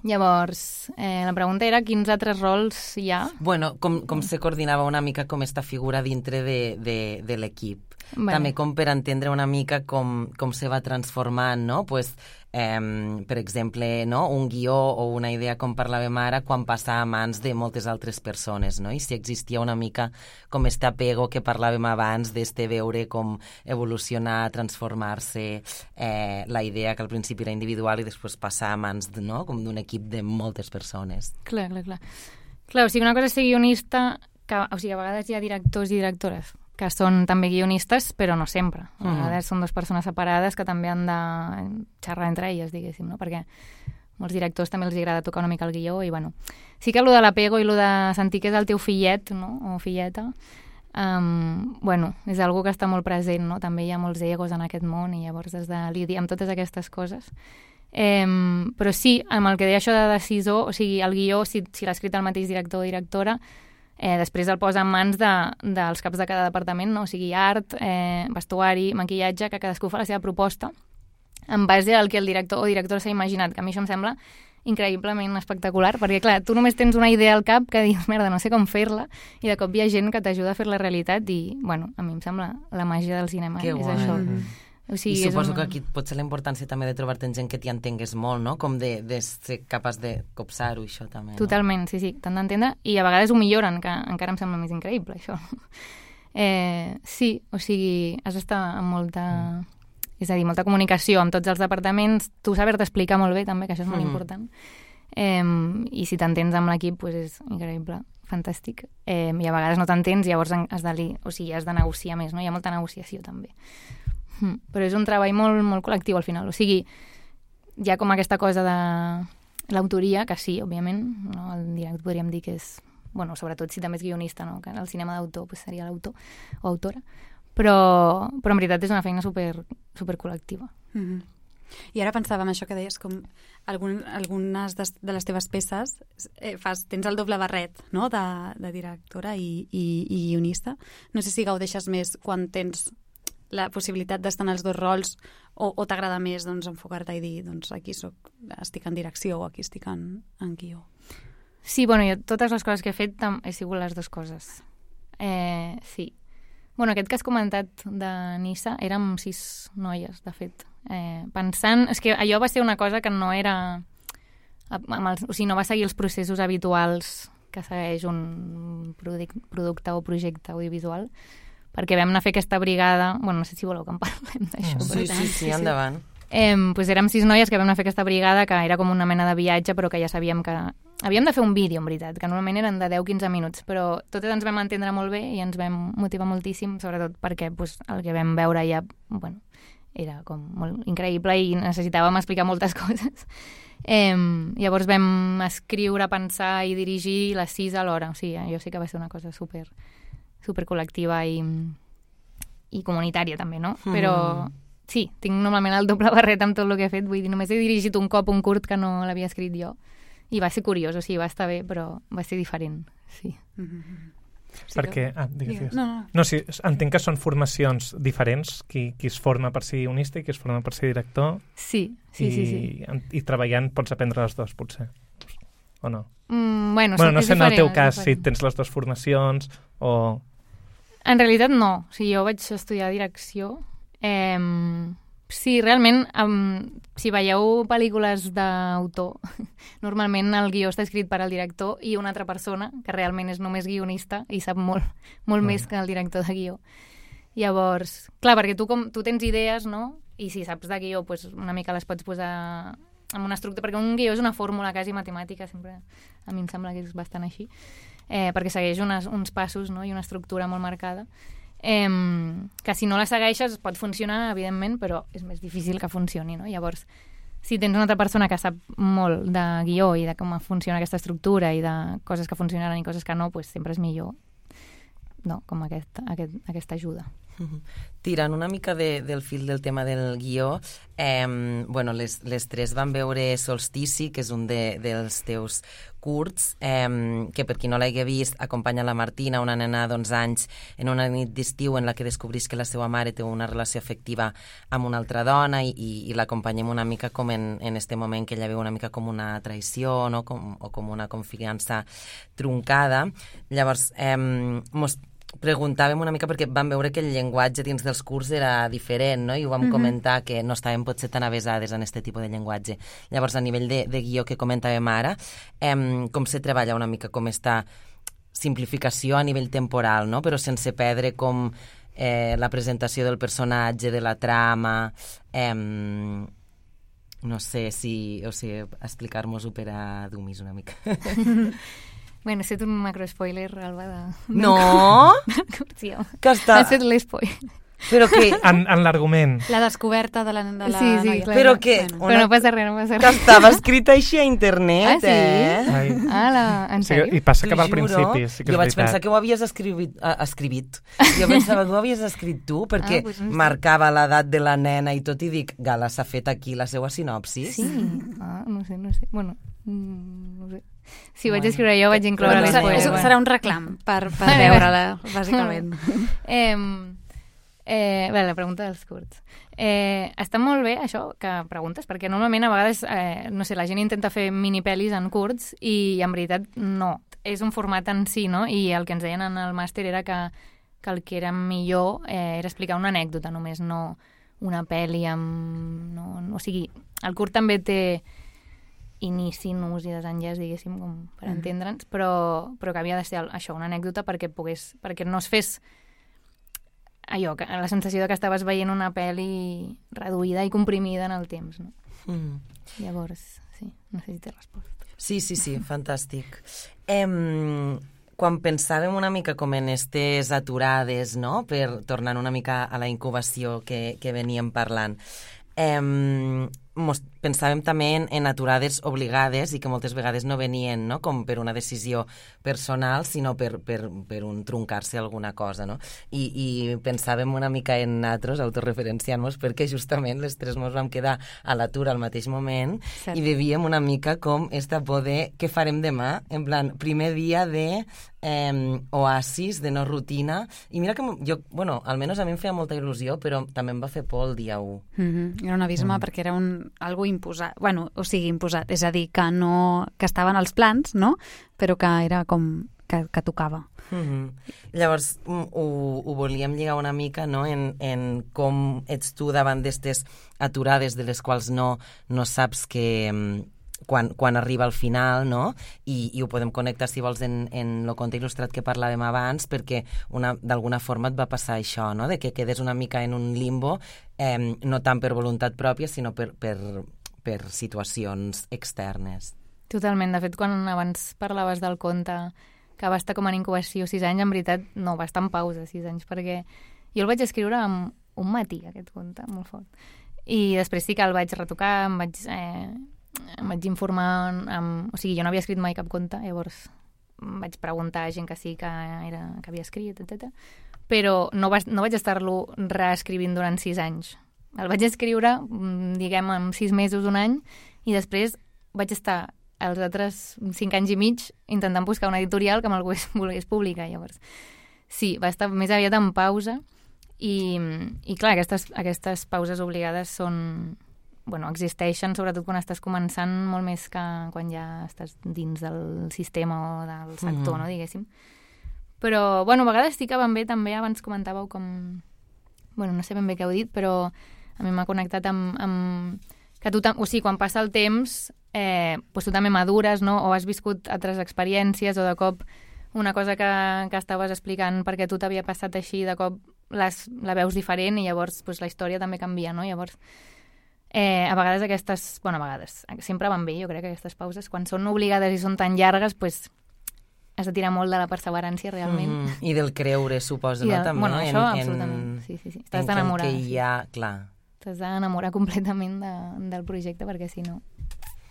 Speaker 6: Llavors, eh, la pregunta era quins altres rols hi ha?
Speaker 3: Bueno, com, com se coordinava una mica com esta figura dintre de, de, de l'equip? Bueno. També com per entendre una mica com, com se va transformant, no? Pues, eh, per exemple, no? Un guió o una idea, com parlàvem ara, quan passa a mans de moltes altres persones, no? I si existia una mica com este apego que parlàvem abans, d'este veure com evolucionar, transformar-se eh, la idea que al principi era individual i després passar a mans, no? Com d'un equip de moltes persones.
Speaker 6: Clar, clar, clar. Clar, o sigui, una cosa és ser guionista, que, o sigui, a vegades hi ha directors i directores que són també guionistes, però no sempre. A vegades mm. són dues persones separades que també han de xerrar entre elles, diguéssim, no? Perquè molts directors també els agrada tocar una mica el guió i, bueno, sí que allò de l'apego i allò de sentir que és el teu fillet, no? O filleta, um, bueno, és algo que està molt present, no? També hi ha molts egos en aquest món i llavors has de lidiar amb totes aquestes coses. Um, però sí, amb el que deia això de decisor, o sigui, el guió, si, si l'ha escrit el mateix director o directora, Eh, després el posa en mans de, dels caps de cada departament, no? O sigui, art, eh, vestuari, maquillatge, que cadascú fa la seva proposta en base al que el director o directora s'ha imaginat, que a mi això em sembla increïblement espectacular, perquè clar, tu només tens una idea al cap que dius, merda, no sé com fer-la, i de cop hi ha gent que t'ajuda a fer la realitat i, bueno, a mi em sembla la màgia del cinema,
Speaker 3: que
Speaker 6: és
Speaker 3: guai.
Speaker 6: això.
Speaker 3: Mm-hmm.
Speaker 6: O sigui,
Speaker 3: I suposo
Speaker 6: una...
Speaker 3: que aquí pot ser la importància també de trobar-te gent que t'hi entengués molt, no? Com de, de ser capaç de copsar-ho, això també, no?
Speaker 6: Totalment, sí, sí, t'han d'entendre, i a vegades ho milloren, que encara em sembla més increïble, això. Eh, sí, o sigui, has d'estar amb molta... Mm. És a dir, molta comunicació amb tots els departaments, tu saber-te explicar molt bé, també, que això és molt mm. important. Eh, I si t'entens amb l'equip, pues és increïble, fantàstic. Eh, I a vegades no t'entens, llavors has de, o sigui, has de negociar més, no? Hi ha molta negociació, també. Mm. Però és un treball molt, molt col·lectiu al final, o sigui, hi ha com aquesta cosa de l'autoria, que sí, òbviament, no? El director podríem dir que és, bueno, sobretot si també és guionista, no? Que el cinema d'autor pues, seria l'autor o autora, però, però en veritat és una feina super, super col·lectiva.
Speaker 4: Mm-hmm. I ara pensava en això que deies, com algun, algunes de, de les teves peces eh, fas, tens el doble barret, no? de, de directora i, i, i guionista. No sé si gaudeixes més quan tens la possibilitat d'estar en els dos rols o, o t'agrada més doncs, enfocar-te i dir doncs, aquí soc, estic en direcció o aquí estic en, en guió.
Speaker 6: Sí, bueno, jo totes les coses que he fet he sigut les dues coses. Eh, sí. Bueno, aquest que has comentat de Nissa érem sis noies, de fet. Eh, pensant... És que allò va ser una cosa que no era... Amb els, o sigui, no va seguir els processos habituals que segueix un producte o projecte audiovisual, perquè vam anar a fer aquesta brigada... Bueno, no sé si voleu que en parlem d'això.
Speaker 3: Mm. Sí, sí, sí, endavant.
Speaker 6: Eh, pues érem sis noies que vam anar a fer aquesta brigada, que era com una mena de viatge, però que ja sabíem que... Havíem de fer un vídeo, en veritat, que normalment eren de deu a quinze minuts, però totes ens vam entendre molt bé i ens vam motivar moltíssim, sobretot perquè pues, el que vam veure ja, bueno, era com molt increïble i necessitàvem explicar moltes coses. Eh, llavors vam escriure, pensar i dirigir les sis alhora. O sigui, jo sí que va ser una cosa super... super col·lectiva i, i comunitària també, no? Mm. Però sí, tinc normalment el doble barret amb tot el que he fet, vull dir, només he dirigit un cop un curt que no l'havia escrit jo i va ser curiós, o sigui, va estar bé, però va ser diferent, sí. Mm-hmm.
Speaker 5: Sí, perquè, ah, digues, digues.
Speaker 4: No, no.
Speaker 5: no, sí, entenc que són formacions diferents, qui, qui es forma per ser guionista i qui es forma per ser director.
Speaker 6: Sí, sí,
Speaker 5: i,
Speaker 6: sí, sí.
Speaker 5: I treballant pots aprendre les dues, potser, o no?
Speaker 6: Mm, bueno,
Speaker 5: bueno, no sé en el teu cas si
Speaker 6: diferent.
Speaker 5: tens les dues formacions o...
Speaker 6: En realitat no, o sigui, jo vaig estudiar direcció. Eh, sí, realment, um, si veieu pel·lícules d'autor, normalment el guió està escrit per al director i una altra persona, que realment és només guionista i sap molt, molt més que el director de guió. Llavors, clar, perquè tu, com, tu tens idees, no? I si saps de guió, pues, una mica les pots posar en una estructura, perquè un guió és una fórmula quasi matemàtica, sempre a mi em sembla que és bastant així. Eh, perquè segueix unes, uns passos, no? I una estructura molt marcada, eh, que si no la segueixes pot funcionar, evidentment, però és més difícil que funcioni, no? Llavors, si tens una altra persona que sap molt de guió i de com funciona aquesta estructura i de coses que funcionaran i coses que no, pues sempre és millor, no? Com aquest, aquest, aquesta ajuda.
Speaker 3: Tirant una mica de, del fil del tema del guió, eh, bueno, les, les tres van veure Solstici, que és un de, dels teus curts, eh, que per qui no l'hagi vist acompanya la Martina, una nena d'onze anys, en una nit d'estiu en la que descobrís que la seva mare té una relació afectiva amb una altra dona i, i, i l'acompanyem una mica com en, en este moment que ella veu una mica com una traïció, no? com, o com una confiança truncada. Llavors, eh, mos preguntàvem una mica perquè vam veure que el llenguatge dins dels curs era diferent, no? I ho vam mm-hmm. comentar que no estàvem potser tan avesades en aquest tipus de llenguatge. Llavors, a nivell de, de guió que comentàvem ara, eh, com se treballa una mica com esta simplificació a nivell temporal, no? Però sense perdre com eh, la presentació del personatge, de la trama... Eh, no sé si... O sigui, explicar-nos-ho per a Dumis una mica.
Speaker 6: Bueno, has fet un macro-spoiler, Alba, de...
Speaker 3: No!
Speaker 6: Sí,
Speaker 3: que està...
Speaker 6: Has fet l'espoiler.
Speaker 3: Però que...
Speaker 5: En, en l'argument.
Speaker 4: La descoberta de la, de la
Speaker 6: sí, sí,
Speaker 4: noia.
Speaker 6: clar.
Speaker 3: Però que...
Speaker 6: Bueno. Una... Però no passa res, no passa res.
Speaker 3: Que estava escrit així a internet,
Speaker 6: ah, sí?
Speaker 3: eh?
Speaker 5: Ai.
Speaker 6: Ah, la... en
Speaker 5: Sí,
Speaker 6: sèrio?
Speaker 5: I passa que va al
Speaker 3: T'ho juro.
Speaker 5: principi, sí que és
Speaker 3: jo vaig
Speaker 5: veritat.
Speaker 3: pensar que ho havies escrivit, uh, escrivit. Jo pensava que ho havies escrit tu, perquè
Speaker 6: Ah, pues no sé.
Speaker 3: marcava l'edat de la nena i tot, i dic, Gala, s'ha fet aquí la seva sinopsis?
Speaker 6: Sí? Ah, no sé, no sé. Bueno, mm, no sé. Si ho vaig
Speaker 3: Bueno.
Speaker 6: escriure jo, vaig incloure
Speaker 3: Bueno,
Speaker 6: l'espoiler.
Speaker 4: Això
Speaker 6: Bueno.
Speaker 4: serà un reclam per, per veure-la, bàsicament.
Speaker 6: Eh, eh, bé, la pregunta dels curts. Eh, està molt bé això que preguntes, perquè normalment a vegades, eh, no sé, la gent intenta fer mini-pel·lis en curts i en veritat no. És un format en si, no? I el que ens deien en el màster era que, que el que era millor eh, era explicar una anècdota només, no una pel·li amb... No, no, o sigui, el curt també té inici, nus i desenllaç, diguéssim, com per
Speaker 4: Mm.
Speaker 6: entendre'ns, però, però que havia de ser això, una anècdota perquè pogués, perquè no es fes allò, que, la sensació de que estaves veient una pel·li reduïda i comprimida en el temps, no?
Speaker 3: Mm.
Speaker 6: Llavors, sí, no sé si té resposta.
Speaker 3: Sí, sí, sí, fantàstic. Em, quan pensàvem una mica com en estes aturades, no?, per tornar una mica a la incubació que, que veníem parlant, em, mos, pensàvem també en, en aturades obligades i que moltes vegades no venien, no?, com per una decisió personal, sinó per, per, per un truncar-se alguna cosa, no? I, i pensàvem una mica en nosaltres, autorreferenciant-nos, perquè justament les tres mos vam quedar a l'atur al mateix moment. Cert. I vivíem una mica com esta por de què farem demà, en plan, primer dia de eh, oasis, de no rutina, i mira que jo, bueno, almenys a mi em feia molta il·lusió, però també em va fer por el dia u.
Speaker 4: Mm-hmm. Era un abisme mm. perquè era un, algo imposat, bueno, o sigui, imposat, és a dir, que no, que estaven als plans, no?, però que era com que, que tocava.
Speaker 3: Mm-hmm. Llavors ho, ho volíem lligar una mica, no?, en, en com ets tu davant d'estes aturades de les quals no, no saps que quan, quan arriba al final, no?, I, i ho podem connectar, si vols, en, en el conte il·lustrat que parlàvem abans, perquè una, d'alguna forma et va passar això, no?, de que quedes una mica en un limbo, eh, no tant per voluntat pròpia, sinó per, per, per situacions externes.
Speaker 6: Totalment. De fet, quan abans parlaves del conte que va estar com en incubació sis anys, en veritat no, va estar en pausa sis anys, perquè jo el vaig escriure en un matí, aquest conte, molt fort. I després sí que el vaig retocar, em vaig, eh, em vaig informar, amb... o sigui, jo no havia escrit mai cap conte, llavors em vaig preguntar a gent que sí que, era, que havia escrit, etcètera. Però no, va, no vaig estar-lo reescrivint durant sis anys. El vaig escriure, diguem, en sis mesos, un any, i després vaig estar els altres cinc anys i mig intentant buscar una editorial que me'l volgués publicar, llavors. Sí, va estar més aviat en pausa i, i clar, aquestes, aquestes pauses obligades són... Bueno, existeixen sobretot quan estàs començant molt més que quan ja estàs dins del sistema o del sector, mm-hmm. no, diguéssim. Però, bueno, a vegades sí que van bé també, abans comentàveu com... Bueno, no sé ben bé què heu dit, però a mi m'ha connectat amb... amb que tu, o sigui, quan passa el temps, eh, doncs tu també madures, no?, o has viscut altres experiències, o de cop una cosa que, que estaves explicant perquè tu t'havia passat així, de cop les, la veus diferent i llavors doncs, la història també canvia, no? Llavors, eh, a vegades aquestes... Bueno, a vegades, sempre van bé, jo crec que aquestes pauses, quan són obligades i són tan llargues, doncs has de tirar molt de la perseverància, realment.
Speaker 3: Mm-hmm. I del creure, suposo, no?
Speaker 6: De,
Speaker 3: també,
Speaker 6: bueno, això,
Speaker 3: en,
Speaker 6: absolutament.
Speaker 3: En,
Speaker 6: sí, sí, sí. T'has d'enamorar.
Speaker 3: En que hi ha, clar...
Speaker 6: T'has d'enamorar completament de, del projecte, perquè si no,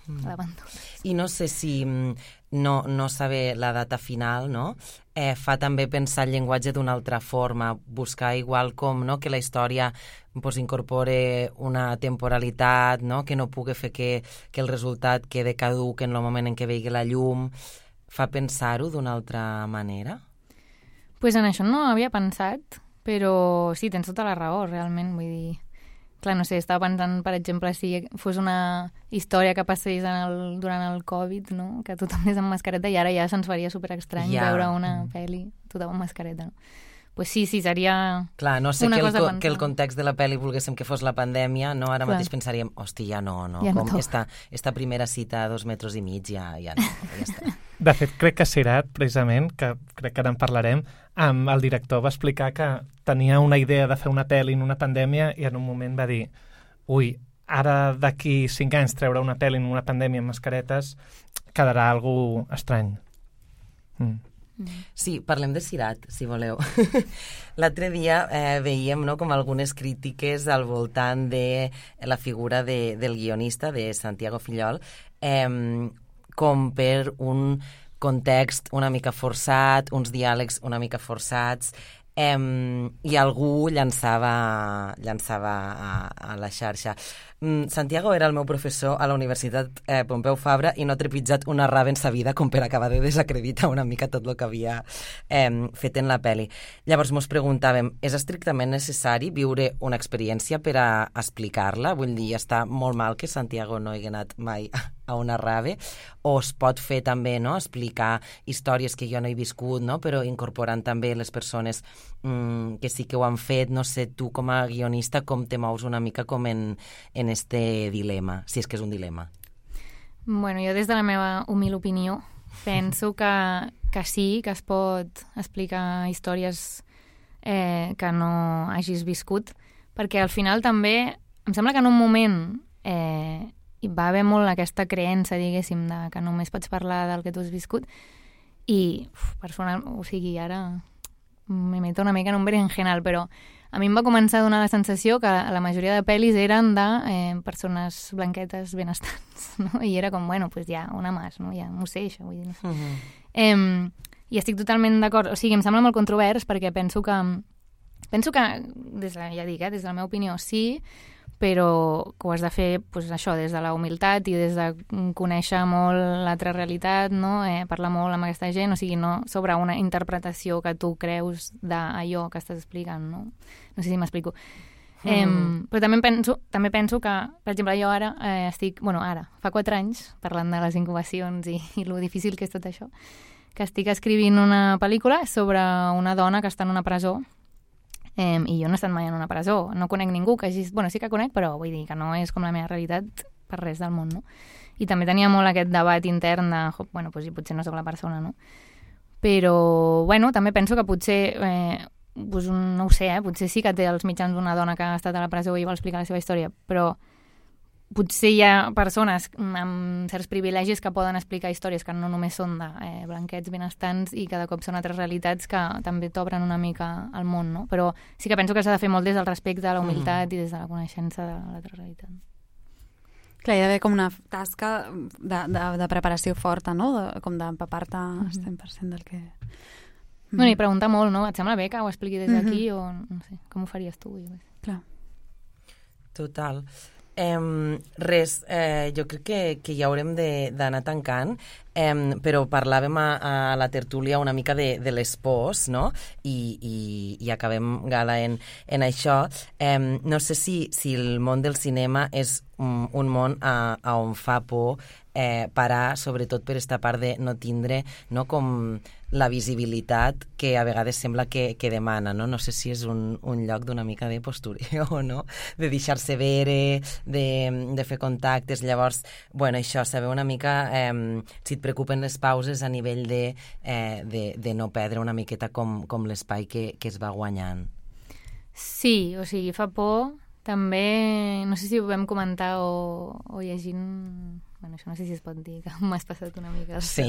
Speaker 6: mm. l'abandones.
Speaker 3: I no sé si no, no saber la data final, no?, eh, fa també pensar el llenguatge d'una altra forma, buscar igual com, no?, que la història pues, incorpore una temporalitat, no?, que no pugui fer que, que el resultat quede caduc en el moment en què vegi la llum. Fa pensar-ho d'una altra manera?
Speaker 6: Pues en això no havia pensat, però sí, tens tota la raó, realment, vull dir... Clar, no sé, estava pensant, per exemple, si fos una història que passés en el, durant el Covid, no?, que tothom és amb mascareta, i ara ja se'ns faria superestrany yeah. veure una mm. pel·li tothom amb mascareta, no? pues sí, sí, seria
Speaker 3: Clar, no sé
Speaker 6: una
Speaker 3: que el,
Speaker 6: cosa a
Speaker 3: co-
Speaker 6: pensar.
Speaker 3: que el context de la pel·li volguéssim que fos la pandèmia, no? Ara
Speaker 6: Clar.
Speaker 3: mateix pensaríem, hòstia, ja no, no,
Speaker 6: Ja no
Speaker 3: com
Speaker 6: toca.
Speaker 3: esta, esta primera cita a dos metres i mig, ja, ja no, ja està.
Speaker 5: De fet, crec que Sirat, precisament, que crec que ara en parlarem, amb el director va explicar que tenia una idea de fer una pel·li en una pandèmia i en un moment va dir, ui, ara d'aquí cinc anys treure una pel·li en una pandèmia amb mascaretes quedarà algú estrany. Mm.
Speaker 3: Sí, parlem de Sirat, si voleu. L'altre dia eh, veiem no, com algunes crítiques al voltant de la figura de, del guionista, de Santiago Fillol, eh, com per un context una mica forçat, uns diàlegs una mica forçats, eh, i algú llançava, llançava a, a la xarxa. Mm, Santiago era el meu professor a la Universitat eh, Pompeu Fabra i no ha trepitjat una rave en sa vida com per acabar de desacreditar una mica tot el que havia eh, fet en la pel·li. Llavors mos preguntàvem, és estrictament necessari viure una experiència per a explicar-la? Vull dir, està molt mal que Santiago no hagi anat mai a una rave, o es pot fer també, no?, explicar històries que jo no he viscut, no?, però incorporant també les persones mm, que sí que ho han fet. No sé, tu com a guionista com te mous una mica com en, en este dilema, si és que és un dilema.
Speaker 6: Bueno, jo des de la meva humil opinió penso que, que sí, que es pot explicar històries eh, que no hagis viscut, perquè al final també em sembla que en un moment eh, hi va haver molt aquesta creença, diguéssim, de que només pots parlar del que tu has viscut i, uf, personal, o sigui, ara me meto una mica en un berenjenal, però a mi em va començar a donar la sensació que la majoria de pel·lis eren de eh, persones blanquetes benestants, no? I era com, bueno, pues ja, una más, no? Ja m'ho sé, això, vull dir. No sé. Uh-huh. eh, I estic totalment d'acord. O sigui, em sembla molt controvers perquè penso que, penso que des de, ja dic, eh, des de la meva opinió, sí, però que ho has de fer pues, això, des de la humilitat i des de conèixer molt l'altra realitat, no? eh, parlar molt amb aquesta gent, o sigui, no sobre una interpretació que tu creus d'allò que estàs explicant, no? No sé si m'explico. Mm. Eh, però també penso, també penso que, per exemple, jo ara eh, estic, bueno, ara, fa quatre anys, parlant de les incubacions i, i lo difícil que és tot això, que estic escrivint una pel·lícula sobre una dona que està en una presó. Um, i jo no he estat mai en una presó, no conec ningú que hagi... Bueno, sí que conec, però vull dir que no és com la meva realitat per res del món, no? I també tenia molt aquest debat intern de, bueno, pues, potser no sóc la persona, no? Però, bueno, també penso que potser, eh, pues, no ho sé, eh, potser sí que té els mitjans d'una dona que ha estat a la presó i vol explicar la seva història, però potser hi ha persones amb certs privilegis que poden explicar històries que no només són de eh, blanquets benestants i cada cop són altres realitats que també t'obren una mica al món, no? Però sí que penso que s'ha de fer molt des del respecte, a la humilitat mm. i des de la coneixença de l'altra realitat.
Speaker 4: Clar, hi ha d'haver com una tasca de, de, de preparació forta, no? De, com d'empapar-te al cent per cent del que...
Speaker 6: Mm. Bueno, i preguntar molt, no? Et sembla bé que ho expliqui des d'aquí mm-hmm. o no sé, com ho faries tu?
Speaker 4: Clar.
Speaker 3: Total. Um, res, eh, jo crec que, que ja haurem d'anar tancant, um, però parlàvem a, a la tertúlia una mica de, de les pors, no? I, i, i acabem, Gala, en, en això. Um, no sé si, si el món del cinema és un, un món a, a on fa por eh, parar, sobretot per esta part de no tindre, no, com la visibilitat que a vegades sembla que, que demana, no? No sé si és un, un lloc d'una mica de postureo o no, de deixar-se veure, de, de fer contactes. Llavors, bueno, això, saber una mica eh, si et preocupen les pauses a nivell de, eh, de, de no perdre una miqueta com, com l'espai que, que es va guanyant.
Speaker 6: Sí, o sigui, fa por. També, no sé si ho vam comentar o, o llegint... Bueno, això no sé si es pot dir, que m'has passat una mica...
Speaker 3: Sí,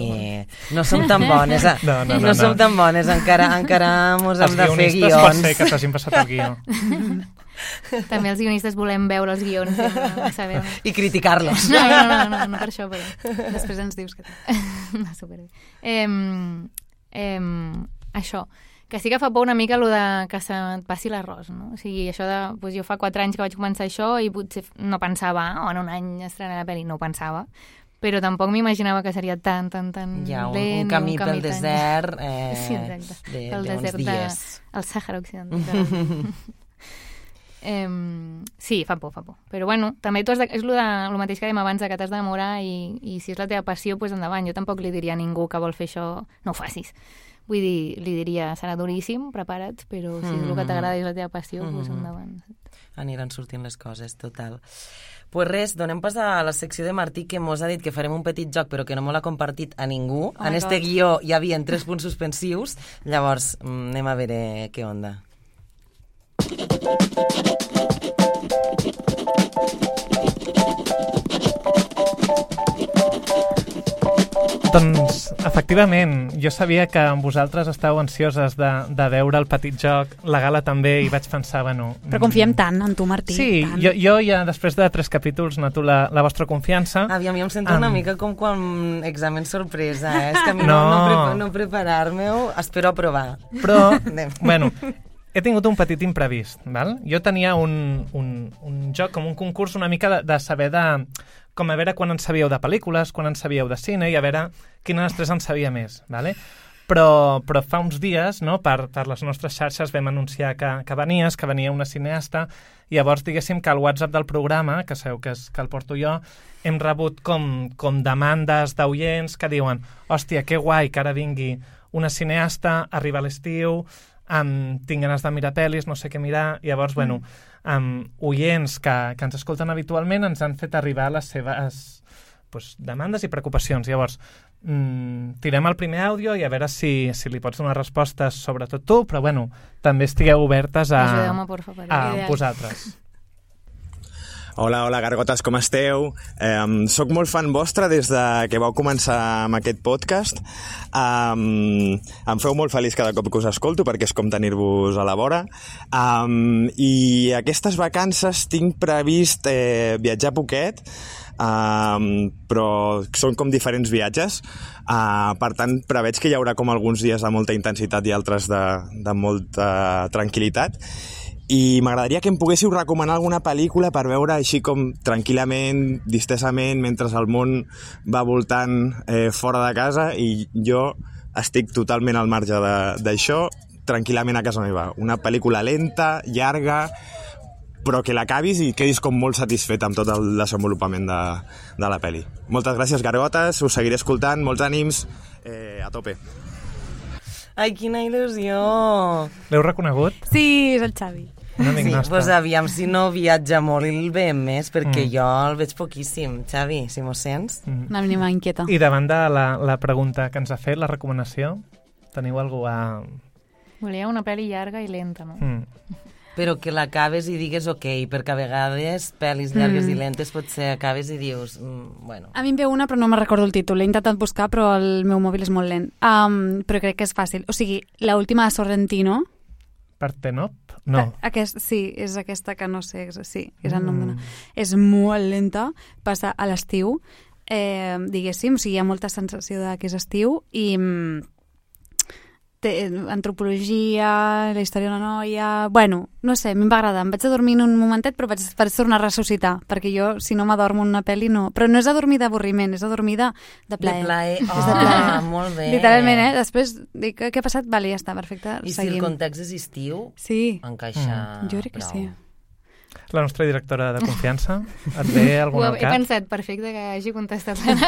Speaker 3: no som tan bones. A... No, no, no, no, no som tan bones, encara, encara mos hem de fer guions.
Speaker 5: Els guionistes pot ser que t'hagin passat el guió.
Speaker 6: També els guionistes volem veure els guions i, no saber...
Speaker 3: I criticar-los.
Speaker 6: No, no, no, no, no per això, però...
Speaker 4: Després ens dius que...
Speaker 6: No, superbé. Eh, eh, això... que sí que fa por una mica allò de que se't passi l'arròs, no? O sigui, això de... Doncs jo fa quatre anys que vaig començar això i potser no pensava, oh, en un any estrenaré la pel·li, no ho pensava, però tampoc m'imaginava que seria tan, tan, tan
Speaker 3: ja, un,
Speaker 6: lent.
Speaker 3: un camí
Speaker 6: un
Speaker 3: pel
Speaker 6: camí
Speaker 3: desert eh,
Speaker 6: sí, exacte.
Speaker 3: de,
Speaker 6: pel
Speaker 3: de
Speaker 6: desert
Speaker 3: uns dies.
Speaker 6: De, el Sàhara Occidental. eh, sí, fa por, fa por. Però bueno, també tu has de, és lo, de, lo mateix que dèiem abans, que t'has d'enamorar i, i si és la teva passió, doncs endavant. Jo tampoc li diria a ningú que vol fer això, no ho facis. Vull dir, li diria, serà duríssim, prepara't, però si és el que t'agrada i és la teva passió, doncs endavant.
Speaker 3: Aniran sortint les coses, total. Pues res, donem pas a la secció de Martí, que mos ha dit que farem un petit joc, però que no m'ho l'ha compartit a ningú. Oh en este God. Guió hi havia tres punts suspensius, llavors anem a veure què onda.
Speaker 5: Doncs, efectivament, jo sabia que vosaltres estàveu ansioses de, de veure el petit joc, la Gala també, i vaig pensar, bueno...
Speaker 4: Però confiem tant en tu, Martí.
Speaker 5: Sí,
Speaker 4: tant.
Speaker 5: jo, jo ja després de tres capítols noto la, la vostra confiança.
Speaker 3: Aviam, jo em sento um... una mica com quan examen sorpresa, eh? És que a mi no, no, no, prepa no preparar-me-ho, espero aprovar.
Speaker 5: Però, bueno... He tingut un petit imprevist, val? Jo tenia un, un, un joc, com un concurs una mica de, de saber de... com a veure quan en sabíeu de pel·lícules, quan en sabíeu de cine, i a veure quina de les tres en sabia més, vale? Però, però fa uns dies, no, per, per les nostres xarxes vam anunciar que, que venies, que venia una cineasta, i llavors diguéssim que al WhatsApp del programa, que sabeu que, és, que el porto jo, hem rebut com, com demandes d'oients que diuen, hòstia, que guai que ara vingui una cineasta, arriba a l'estiu... Um, tinc ganes de mirar pel·lis, no sé què mirar, i llavors, mm. bueno, um, oients que, que ens escolten habitualment ens han fet arribar les seves pues, demandes i preocupacions. Llavors, mm, tirem el primer àudio i a veure si, si li pots donar respostes, sobretot tu, però bueno, també estigueu obertes a, a vosaltres.
Speaker 7: Hola, hola, gargotes, com esteu? Eh, soc molt fan vostre des de que vau començar amb aquest podcast. Um, em feu molt feliç cada cop que us escolto perquè és com tenir-vos a la vora. Um, I aquestes vacances tinc previst eh, viatjar poquet, um, però són com diferents viatges. Uh, per tant, preveig que hi haurà com alguns dies de molta intensitat i altres de, de molta tranquil·litat. I m'agradaria que em poguéssiu recomanar alguna pel·lícula per veure així com tranquil·lament, distesament, mentre el món va voltant eh, fora de casa i jo estic totalment al marge d'això, tranquil·lament a casa meva. Una pel·lícula lenta, llarga, però que l'acabis i quedis com molt satisfet amb tot el desenvolupament de, de la pel·li. Moltes gràcies, gargotes, us seguiré escoltant, molts ànims, eh, a tope.
Speaker 3: Ai, quina il·lusió!
Speaker 5: L'heu reconegut?
Speaker 4: Sí, és el Xavi.
Speaker 5: Un amic
Speaker 3: sí,
Speaker 5: nostre.
Speaker 3: Pues aviam si no viatja molt i el veiem més, perquè mm. jo el veig poquíssim. Xavi, si m'ho sents?
Speaker 4: Mm. Una mínima inquieta.
Speaker 5: I davant de la, la pregunta que ens ha fet, la recomanació, teniu algú a...
Speaker 6: Volia una pel·li llarga i lenta, no?
Speaker 5: Mm.
Speaker 3: Però que l'acabes i digues ok, perquè a vegades pel·lis llargues mm. i lentes potser acabes i dius... Mm, bueno.
Speaker 4: A mi em ve una, però no me recordo el títol. L'he intentat buscar, però el meu mòbil és molt lent. Um, però crec que és fàcil. O sigui, l'última de Sorrentino...
Speaker 5: Partenop? No.
Speaker 4: Aquest, sí, és aquesta que no sé, sí, és el nom d'una. Mm. És molt lenta, passa a l'estiu, eh, diguéssim, o sigui, hi ha molta sensació de que és estiu i té antropologia, la història d'una noia... Bueno, no sé, a mi em va agradar. Em vaig adormir en un momentet, però vaig, vaig tornar a ressuscitar, perquè jo, si no m'adormo en una pel·li, no... Però no és adormir d'avorriment, és adormir de, de plaer.
Speaker 3: De plaer, oh,
Speaker 4: és de plaer.
Speaker 3: Molt bé.
Speaker 4: Literalment, eh? Després dic, què ha passat? Vale, ja està, perfecte,
Speaker 3: I
Speaker 4: seguim.
Speaker 3: si el context és estiu,
Speaker 4: sí.
Speaker 3: encaixa
Speaker 4: mm. Jo crec que
Speaker 3: prou.
Speaker 4: Sí.
Speaker 5: La nostra directora de confiança, et ve alguna al cap?
Speaker 6: He pensat, perfecte que hagi contestat la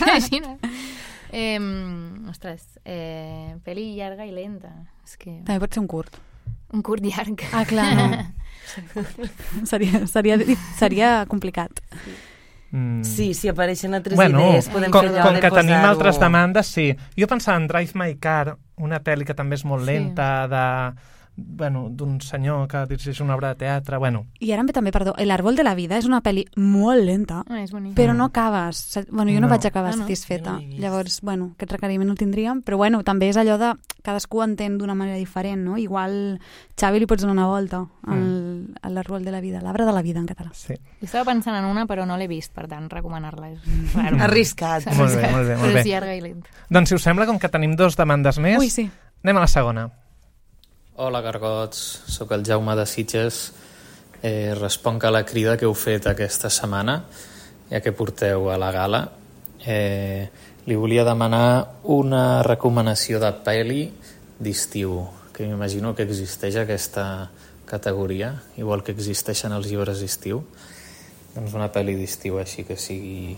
Speaker 6: imagina. Eh, ostres, eh, pel·li llarga i lenta. És que...
Speaker 4: També pot ser un curt.
Speaker 6: Un curt llarg.
Speaker 4: Ah, clar, no. seria, seria, seria complicat.
Speaker 3: Mm. Sí, si apareixen altres
Speaker 5: bueno,
Speaker 3: idees, podem
Speaker 5: com,
Speaker 3: fer allò
Speaker 5: com
Speaker 3: de
Speaker 5: que
Speaker 3: posar-ho...
Speaker 5: tenim altres demandes, sí. Jo pensava en Drive My Car, una pel·li que també és molt lenta, sí. de... bueno, d'un senyor que dirigeix una obra de teatre, bueno.
Speaker 4: I ara em ve també, perdó, L'Arbol de la vida és una pel·li molt lenta,
Speaker 6: ah, és
Speaker 4: però no acabes. Bueno, jo no, no vaig acabar
Speaker 6: ah, no.
Speaker 4: satisfeta.
Speaker 3: No
Speaker 4: Llavors, bueno, aquest requeriment no el tindríem, però bueno, també és allò de cadascú entén d'una manera diferent, no? Igual Xavi li pots donar una volta al, mm. a L'Arbol de la vida, l'arbre de la vida en català.
Speaker 5: Sí.
Speaker 6: Jo estava pensant en una, però no l'he vist, per tant, recomanar-la és raro.
Speaker 3: Arriscat.
Speaker 5: Molt bé, molt bé, molt
Speaker 6: però
Speaker 5: bé.
Speaker 6: és llarga i lenta.
Speaker 5: Doncs si us sembla, com que tenim dos demandes més,
Speaker 4: Ui, sí.
Speaker 5: anem a la segona.
Speaker 8: Hola, gargots. Soc el Jaume de Sitges. Eh, responc a la crida que heu fet aquesta setmana, ja que porteu a la gala. Eh, li volia demanar una recomanació de pel·li d'estiu, que m'imagino que existeix aquesta categoria, igual que existeixen els llibres d'estiu. Doncs una pel·li d'estiu així que sigui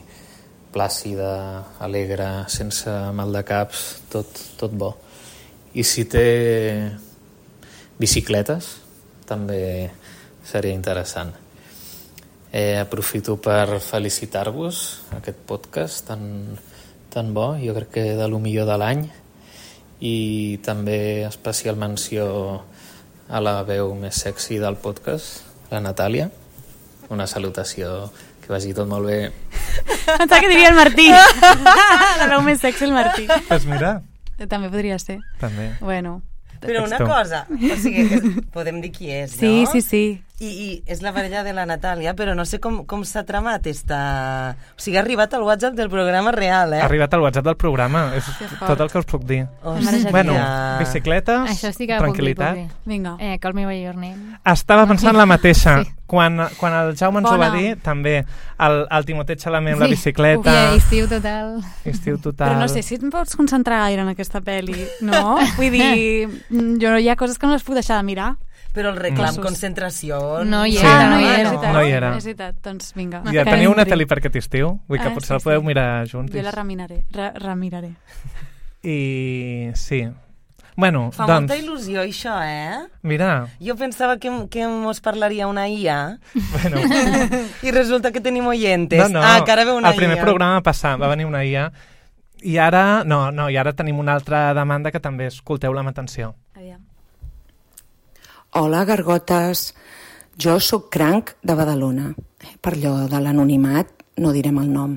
Speaker 8: plàcida, alegre, sense mal de caps, tot, tot bo. I si té bicicletes, també seria interessant. Eh, aprofito per felicitar-vos aquest podcast tan, tan bo, jo crec que de lo millor de l'any, i també especial menció a la veu més sexy del podcast, la Natàlia. Una salutació, que vagi tot molt bé.
Speaker 4: Pensava que diria el Martí. La veu més sexy el Martí.
Speaker 5: Pues mira.
Speaker 4: També podria ser.
Speaker 5: També.
Speaker 4: Bueno.
Speaker 9: Però una cosa, o sigui, que podem dir qui és, no?
Speaker 4: Sí, sí, sí.
Speaker 9: I, i és la parella de la Natàlia, però no sé com, com s'ha tramat esta... O sigui, ha arribat al WhatsApp del programa real, eh?
Speaker 5: Ha arribat al WhatsApp del programa, és tot el que us puc dir.
Speaker 9: Hòstia.
Speaker 5: Bueno, bicicletes,
Speaker 6: Això sí que
Speaker 5: tranquil·litat.
Speaker 6: puc dir, puc dir.
Speaker 4: Vinga.
Speaker 6: Eh, Call Me By Your Name.
Speaker 5: Estava pensant la mateixa.
Speaker 6: Sí.
Speaker 5: Quan, quan el Jaume ens
Speaker 4: Bona.
Speaker 5: ho va dir, també, el, el Timotet Xalamer amb la
Speaker 6: Sí.
Speaker 5: bicicleta...
Speaker 6: Uf, estiu total.
Speaker 5: Estiu total...
Speaker 4: Però no sé si et pots concentrar gaire en aquesta pel·li, no? Vull dir, jo hi ha coses que no les puc deixar de mirar.
Speaker 9: Però el reclam
Speaker 4: Mm.
Speaker 9: concentració...
Speaker 6: No hi
Speaker 5: Sí.
Speaker 6: era,
Speaker 4: Ah, no hi
Speaker 6: no,
Speaker 4: era,
Speaker 6: no.
Speaker 4: és veritat.
Speaker 5: No hi era.
Speaker 4: És veritat, doncs vinga.
Speaker 5: Ja
Speaker 4: Que
Speaker 5: teniu una
Speaker 4: entri.
Speaker 5: tele per aquest estiu, vull que
Speaker 4: Ah,
Speaker 5: potser
Speaker 4: sí,
Speaker 5: la podeu
Speaker 4: sí.
Speaker 5: mirar junts.
Speaker 4: Jo la remiraré, re remiraré.
Speaker 5: I sí. Bueno,
Speaker 9: Fa
Speaker 5: doncs,
Speaker 9: molta il·lusió, això, eh?
Speaker 5: mira,
Speaker 9: Jo pensava que, que mos parlaria una I A
Speaker 5: bueno,
Speaker 9: i resulta que tenim oyentes.
Speaker 5: no, no,
Speaker 9: Ah, que ara ve una
Speaker 5: el primer
Speaker 9: I A.
Speaker 5: programa passat va venir una I A i ara, no, no, i ara tenim una altra demanda que també escolteu-la amb atenció.
Speaker 4: Aviam.
Speaker 10: Hola, gargotes. Jo sóc Cranc de Badalona. Per allò de l'anonimat no direm el nom.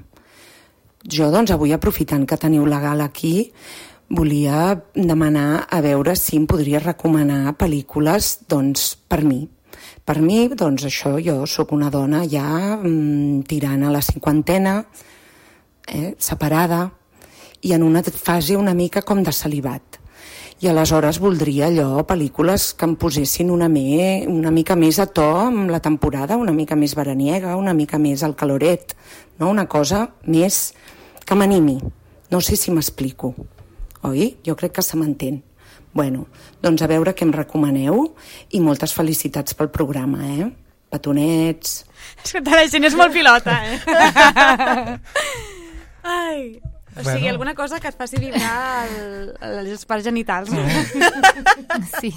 Speaker 10: Jo, doncs, avui aprofitant que teniu la gala aquí, volia demanar a veure si em podria recomanar pel·lícules, doncs, per mi. Per mi, doncs, això, jo sóc una dona ja mm, tirant a la cinquantena, eh, separada, i en una fase una mica com de celibat. I aleshores voldria allò, pel·lícules que em posessin una, me, una mica més a to amb la temporada, una mica més veraniega, una mica més al caloret, no? Una cosa més que m'animi. No sé si m'explico. Oi? Jo crec que se m'entén. Bueno, doncs a veure què em recomaneu i moltes felicitats pel programa, eh? Petonets...
Speaker 4: És que la gent és molt pilota, eh? Ai... O sigui,
Speaker 5: Bueno.
Speaker 4: alguna cosa que et faci vibrar el, els parts genitals, no?
Speaker 6: Sí.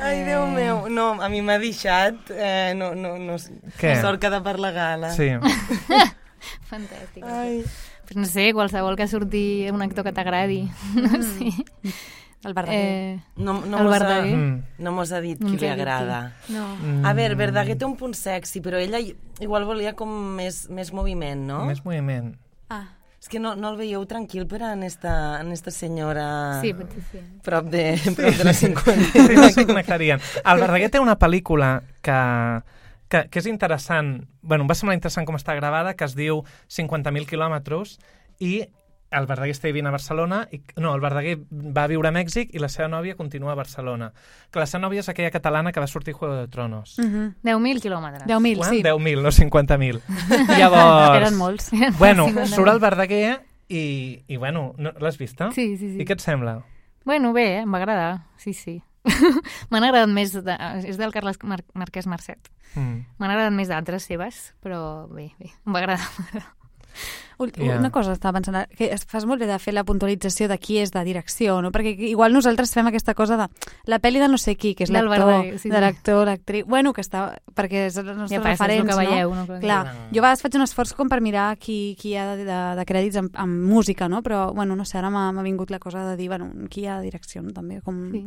Speaker 9: Ai, Déu meu. No, a mi m'ha deixat... Eh, no, no, no,
Speaker 5: Què?
Speaker 9: sort que de per la gala.
Speaker 5: Sí.
Speaker 6: Fantàstic.
Speaker 9: Ai.
Speaker 6: Pues no sé, qualsevol que surti un actor que t'agradi. No sé.
Speaker 4: El Verdaguer.
Speaker 6: Eh,
Speaker 9: No, no
Speaker 6: el
Speaker 9: mos ha,
Speaker 6: Verdaguer.
Speaker 5: Mm.
Speaker 9: no mos ha dit
Speaker 6: No
Speaker 9: qui
Speaker 6: ens
Speaker 9: li
Speaker 6: ha dit
Speaker 9: agrada.
Speaker 6: No.
Speaker 9: A veure, Verdaguer té un punt sexy, però ella igual volia com més, més moviment, no?
Speaker 5: Més moviment.
Speaker 4: Ah.
Speaker 9: És que no, no el veieu tranquil per en esta, en esta senyora
Speaker 6: Sí, potser sí.
Speaker 9: prop de, prop de la cinquanta.
Speaker 5: Sí, no s'hi connectarien. El Verdaguer té una pel·lícula que, que, que és interessant, bueno, em va semblar interessant com està gravada, que es diu cinquanta mil quilòmetres, i el Verdaguer està vivint a Barcelona, i, no, el Verdaguer va viure a Mèxic i la seva nòvia continua a Barcelona. Que la seva nòvia és aquella catalana que va sortir a Juego de Tronos.
Speaker 4: Uh -huh.
Speaker 6: deu mil quilòmetres.
Speaker 4: deu mil,
Speaker 5: Quan?
Speaker 4: sí.
Speaker 5: deu mil, no cinquanta mil. Llavors...
Speaker 4: Eren molts.
Speaker 5: Bueno,
Speaker 6: cinquanta mil.
Speaker 5: surt el Verdaguer i, i bueno, no, l'has vista?
Speaker 6: Sí, sí, sí.
Speaker 5: I què et sembla?
Speaker 6: Bueno, bé, eh? Em va agradar. Sí, sí. M'han agradat més... De... És del Carles Mar Marquès Marcet.
Speaker 5: Mm.
Speaker 6: M'han agradat més d'altres seves, però bé, bé. Em va agradar.
Speaker 4: Yeah. Una cosa estava pensant, que es fas molt bé de fer la puntualització de qui és de direcció, no? Perquè igual nosaltres fem aquesta cosa de la pel·li de no sé qui, que és
Speaker 6: Del
Speaker 4: l'actor,
Speaker 6: Verdaguer, sí, sí.
Speaker 4: de l'actor, l'actriu... Bueno, que està... Perquè és els nostres
Speaker 6: Ja passa, és el
Speaker 4: referents,
Speaker 6: que veieu,
Speaker 4: no?
Speaker 6: no?
Speaker 4: Clar, jo a vegades faig un esforç com per mirar qui, qui hi ha de, de, de crèdits amb, amb música, no? Però, bueno, no sé, ara m'ha vingut la cosa de dir, bueno, qui hi ha de direcció, no? També, com
Speaker 6: Sí.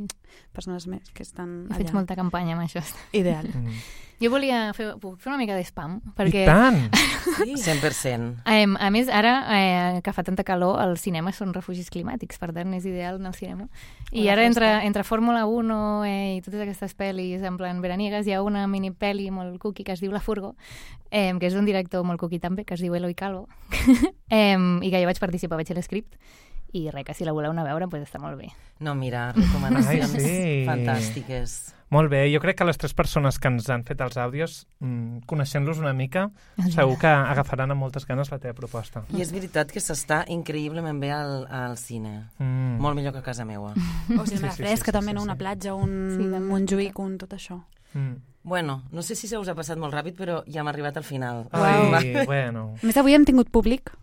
Speaker 4: persones més que estan
Speaker 6: He
Speaker 4: allà.
Speaker 6: fet molta campanya amb això.
Speaker 4: Ideal.
Speaker 5: Mm.
Speaker 6: Jo volia fer, puc fer una mica d'espam,
Speaker 5: I
Speaker 6: perquè...
Speaker 5: tant!
Speaker 9: Sí? cent per cent.
Speaker 6: Eh, a més, ara, eh, que fa tanta calor, els cinemes són refugis climàtics, per tant, és ideal anar al cinema. I
Speaker 4: Una
Speaker 6: ara,
Speaker 4: festa.
Speaker 6: entre, entre Fórmula uno eh, i totes aquestes pel·lis, en plan veraniegues, hi ha una mini-pel·li molt cookie que es diu La Furgo, eh, que és d'un director molt cookie també, que es diu Eloi Calvo, eh, i que jo vaig participar, vaig fer l'escript, i res, que si la voleu anar a veure, doncs està molt bé.
Speaker 9: No, mira, recomanacions
Speaker 5: Ai, sí.
Speaker 9: fantàstiques.
Speaker 5: Molt bé, jo crec que les tres persones que ens han fet els àudios, mm, coneixent-los una mica, segur que agafaran amb moltes ganes la teva proposta.
Speaker 9: I és veritat que s'està increïblement bé al, al cine.
Speaker 5: Mm.
Speaker 9: Molt millor que a casa meua.
Speaker 4: O cinema
Speaker 5: Sí, sí,
Speaker 4: fresca,
Speaker 5: sí, sí,
Speaker 4: també,
Speaker 5: sí,
Speaker 4: no?
Speaker 5: sí.
Speaker 4: Una platja, un,
Speaker 6: Sí,
Speaker 4: sí,
Speaker 6: també.
Speaker 4: Montjuïc, un tot això.
Speaker 5: Mm.
Speaker 9: Bueno, no sé si se us ha passat molt ràpid, però ja hem arribat al final.
Speaker 5: Ai,
Speaker 9: Va.
Speaker 5: bueno.
Speaker 4: A més, avui hem tingut públic.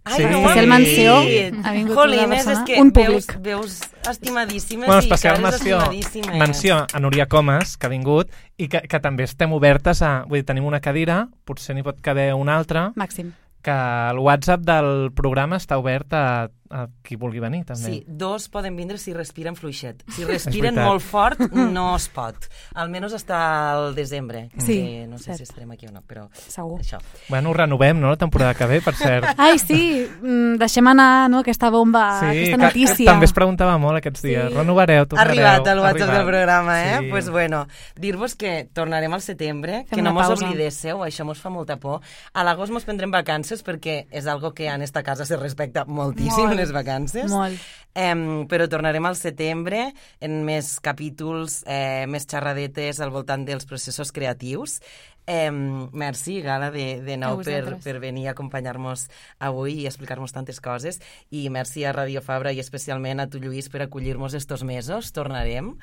Speaker 9: Ai,
Speaker 5: Sí.
Speaker 9: no ho
Speaker 4: Especial
Speaker 9: hem
Speaker 4: menció.
Speaker 9: dit.
Speaker 4: Ha vingut
Speaker 9: Jolines,
Speaker 4: una
Speaker 9: és
Speaker 4: persona,
Speaker 9: que
Speaker 4: un
Speaker 9: veus,
Speaker 4: públic.
Speaker 9: veus estimadíssimes
Speaker 5: Bueno,
Speaker 9: i
Speaker 5: especial
Speaker 9: cares
Speaker 5: menció,
Speaker 9: estimadíssimes.
Speaker 5: menció a Núria Comas, que ha vingut, i que, que també estem obertes a... Vull dir, tenim una cadira, potser n'hi pot caber una altra,
Speaker 4: Màxim.
Speaker 5: que el WhatsApp del programa està obert a, a qui vulgui venir, també.
Speaker 9: Sí, dos poden vindre si respiren fluixet. Si respiren
Speaker 5: veritat.
Speaker 9: molt fort, no es pot. Almenys està al desembre.
Speaker 4: Sí,
Speaker 9: que no sé
Speaker 4: cert.
Speaker 9: si estarem aquí o no, però
Speaker 4: Segur.
Speaker 9: això.
Speaker 5: Bueno, ho renovem, no?, la temporada que ve, per cert.
Speaker 4: Ai, sí, mm, deixem anar no, aquesta bomba,
Speaker 5: Sí,
Speaker 4: aquesta
Speaker 5: que,
Speaker 4: notícia.
Speaker 5: que també es preguntava molt aquests dies.
Speaker 4: Sí.
Speaker 5: Renovareu,
Speaker 9: Ha
Speaker 5: tornareu.
Speaker 9: arribat el WhatsApp
Speaker 5: arribat.
Speaker 9: del programa, eh?
Speaker 5: Sí.
Speaker 9: Pues bueno, dir-vos que tornarem al setembre,
Speaker 4: Fem
Speaker 9: que no
Speaker 4: una
Speaker 9: mos
Speaker 4: pausa.
Speaker 9: oblidéssiu, això mos fa molta por. A l'agost mos prendrem vacances perquè és algo que en esta casa se respecta moltíssim,
Speaker 4: Molt.
Speaker 9: les vacances.
Speaker 4: Molt.
Speaker 9: Em, però tornarem al setembre en més capítols, eh, més xerradetes al voltant dels processos creatius. Em, merci, Gala, de, de
Speaker 6: A
Speaker 9: nou per,
Speaker 6: vosaltres.
Speaker 9: per venir a acompanyar-nos avui i explicar-nos tantes coses. I merci a Radio Fabra i especialment a tu, Lluís, per acollir-nos estos mesos. Tornarem.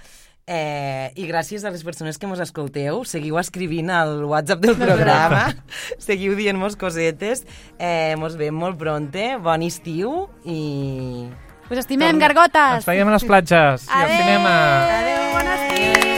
Speaker 9: Eh, I gràcies a les persones que mos escolteu. Seguiu escrivint al WhatsApp del programa. Seguiu dient-nos cosetes. Eh, mos veiem molt pronte. Bon estiu i...
Speaker 4: Us estimem, gargotes!
Speaker 5: Ens veiem a les platges i al cinema.
Speaker 4: Adéu, bon estiu!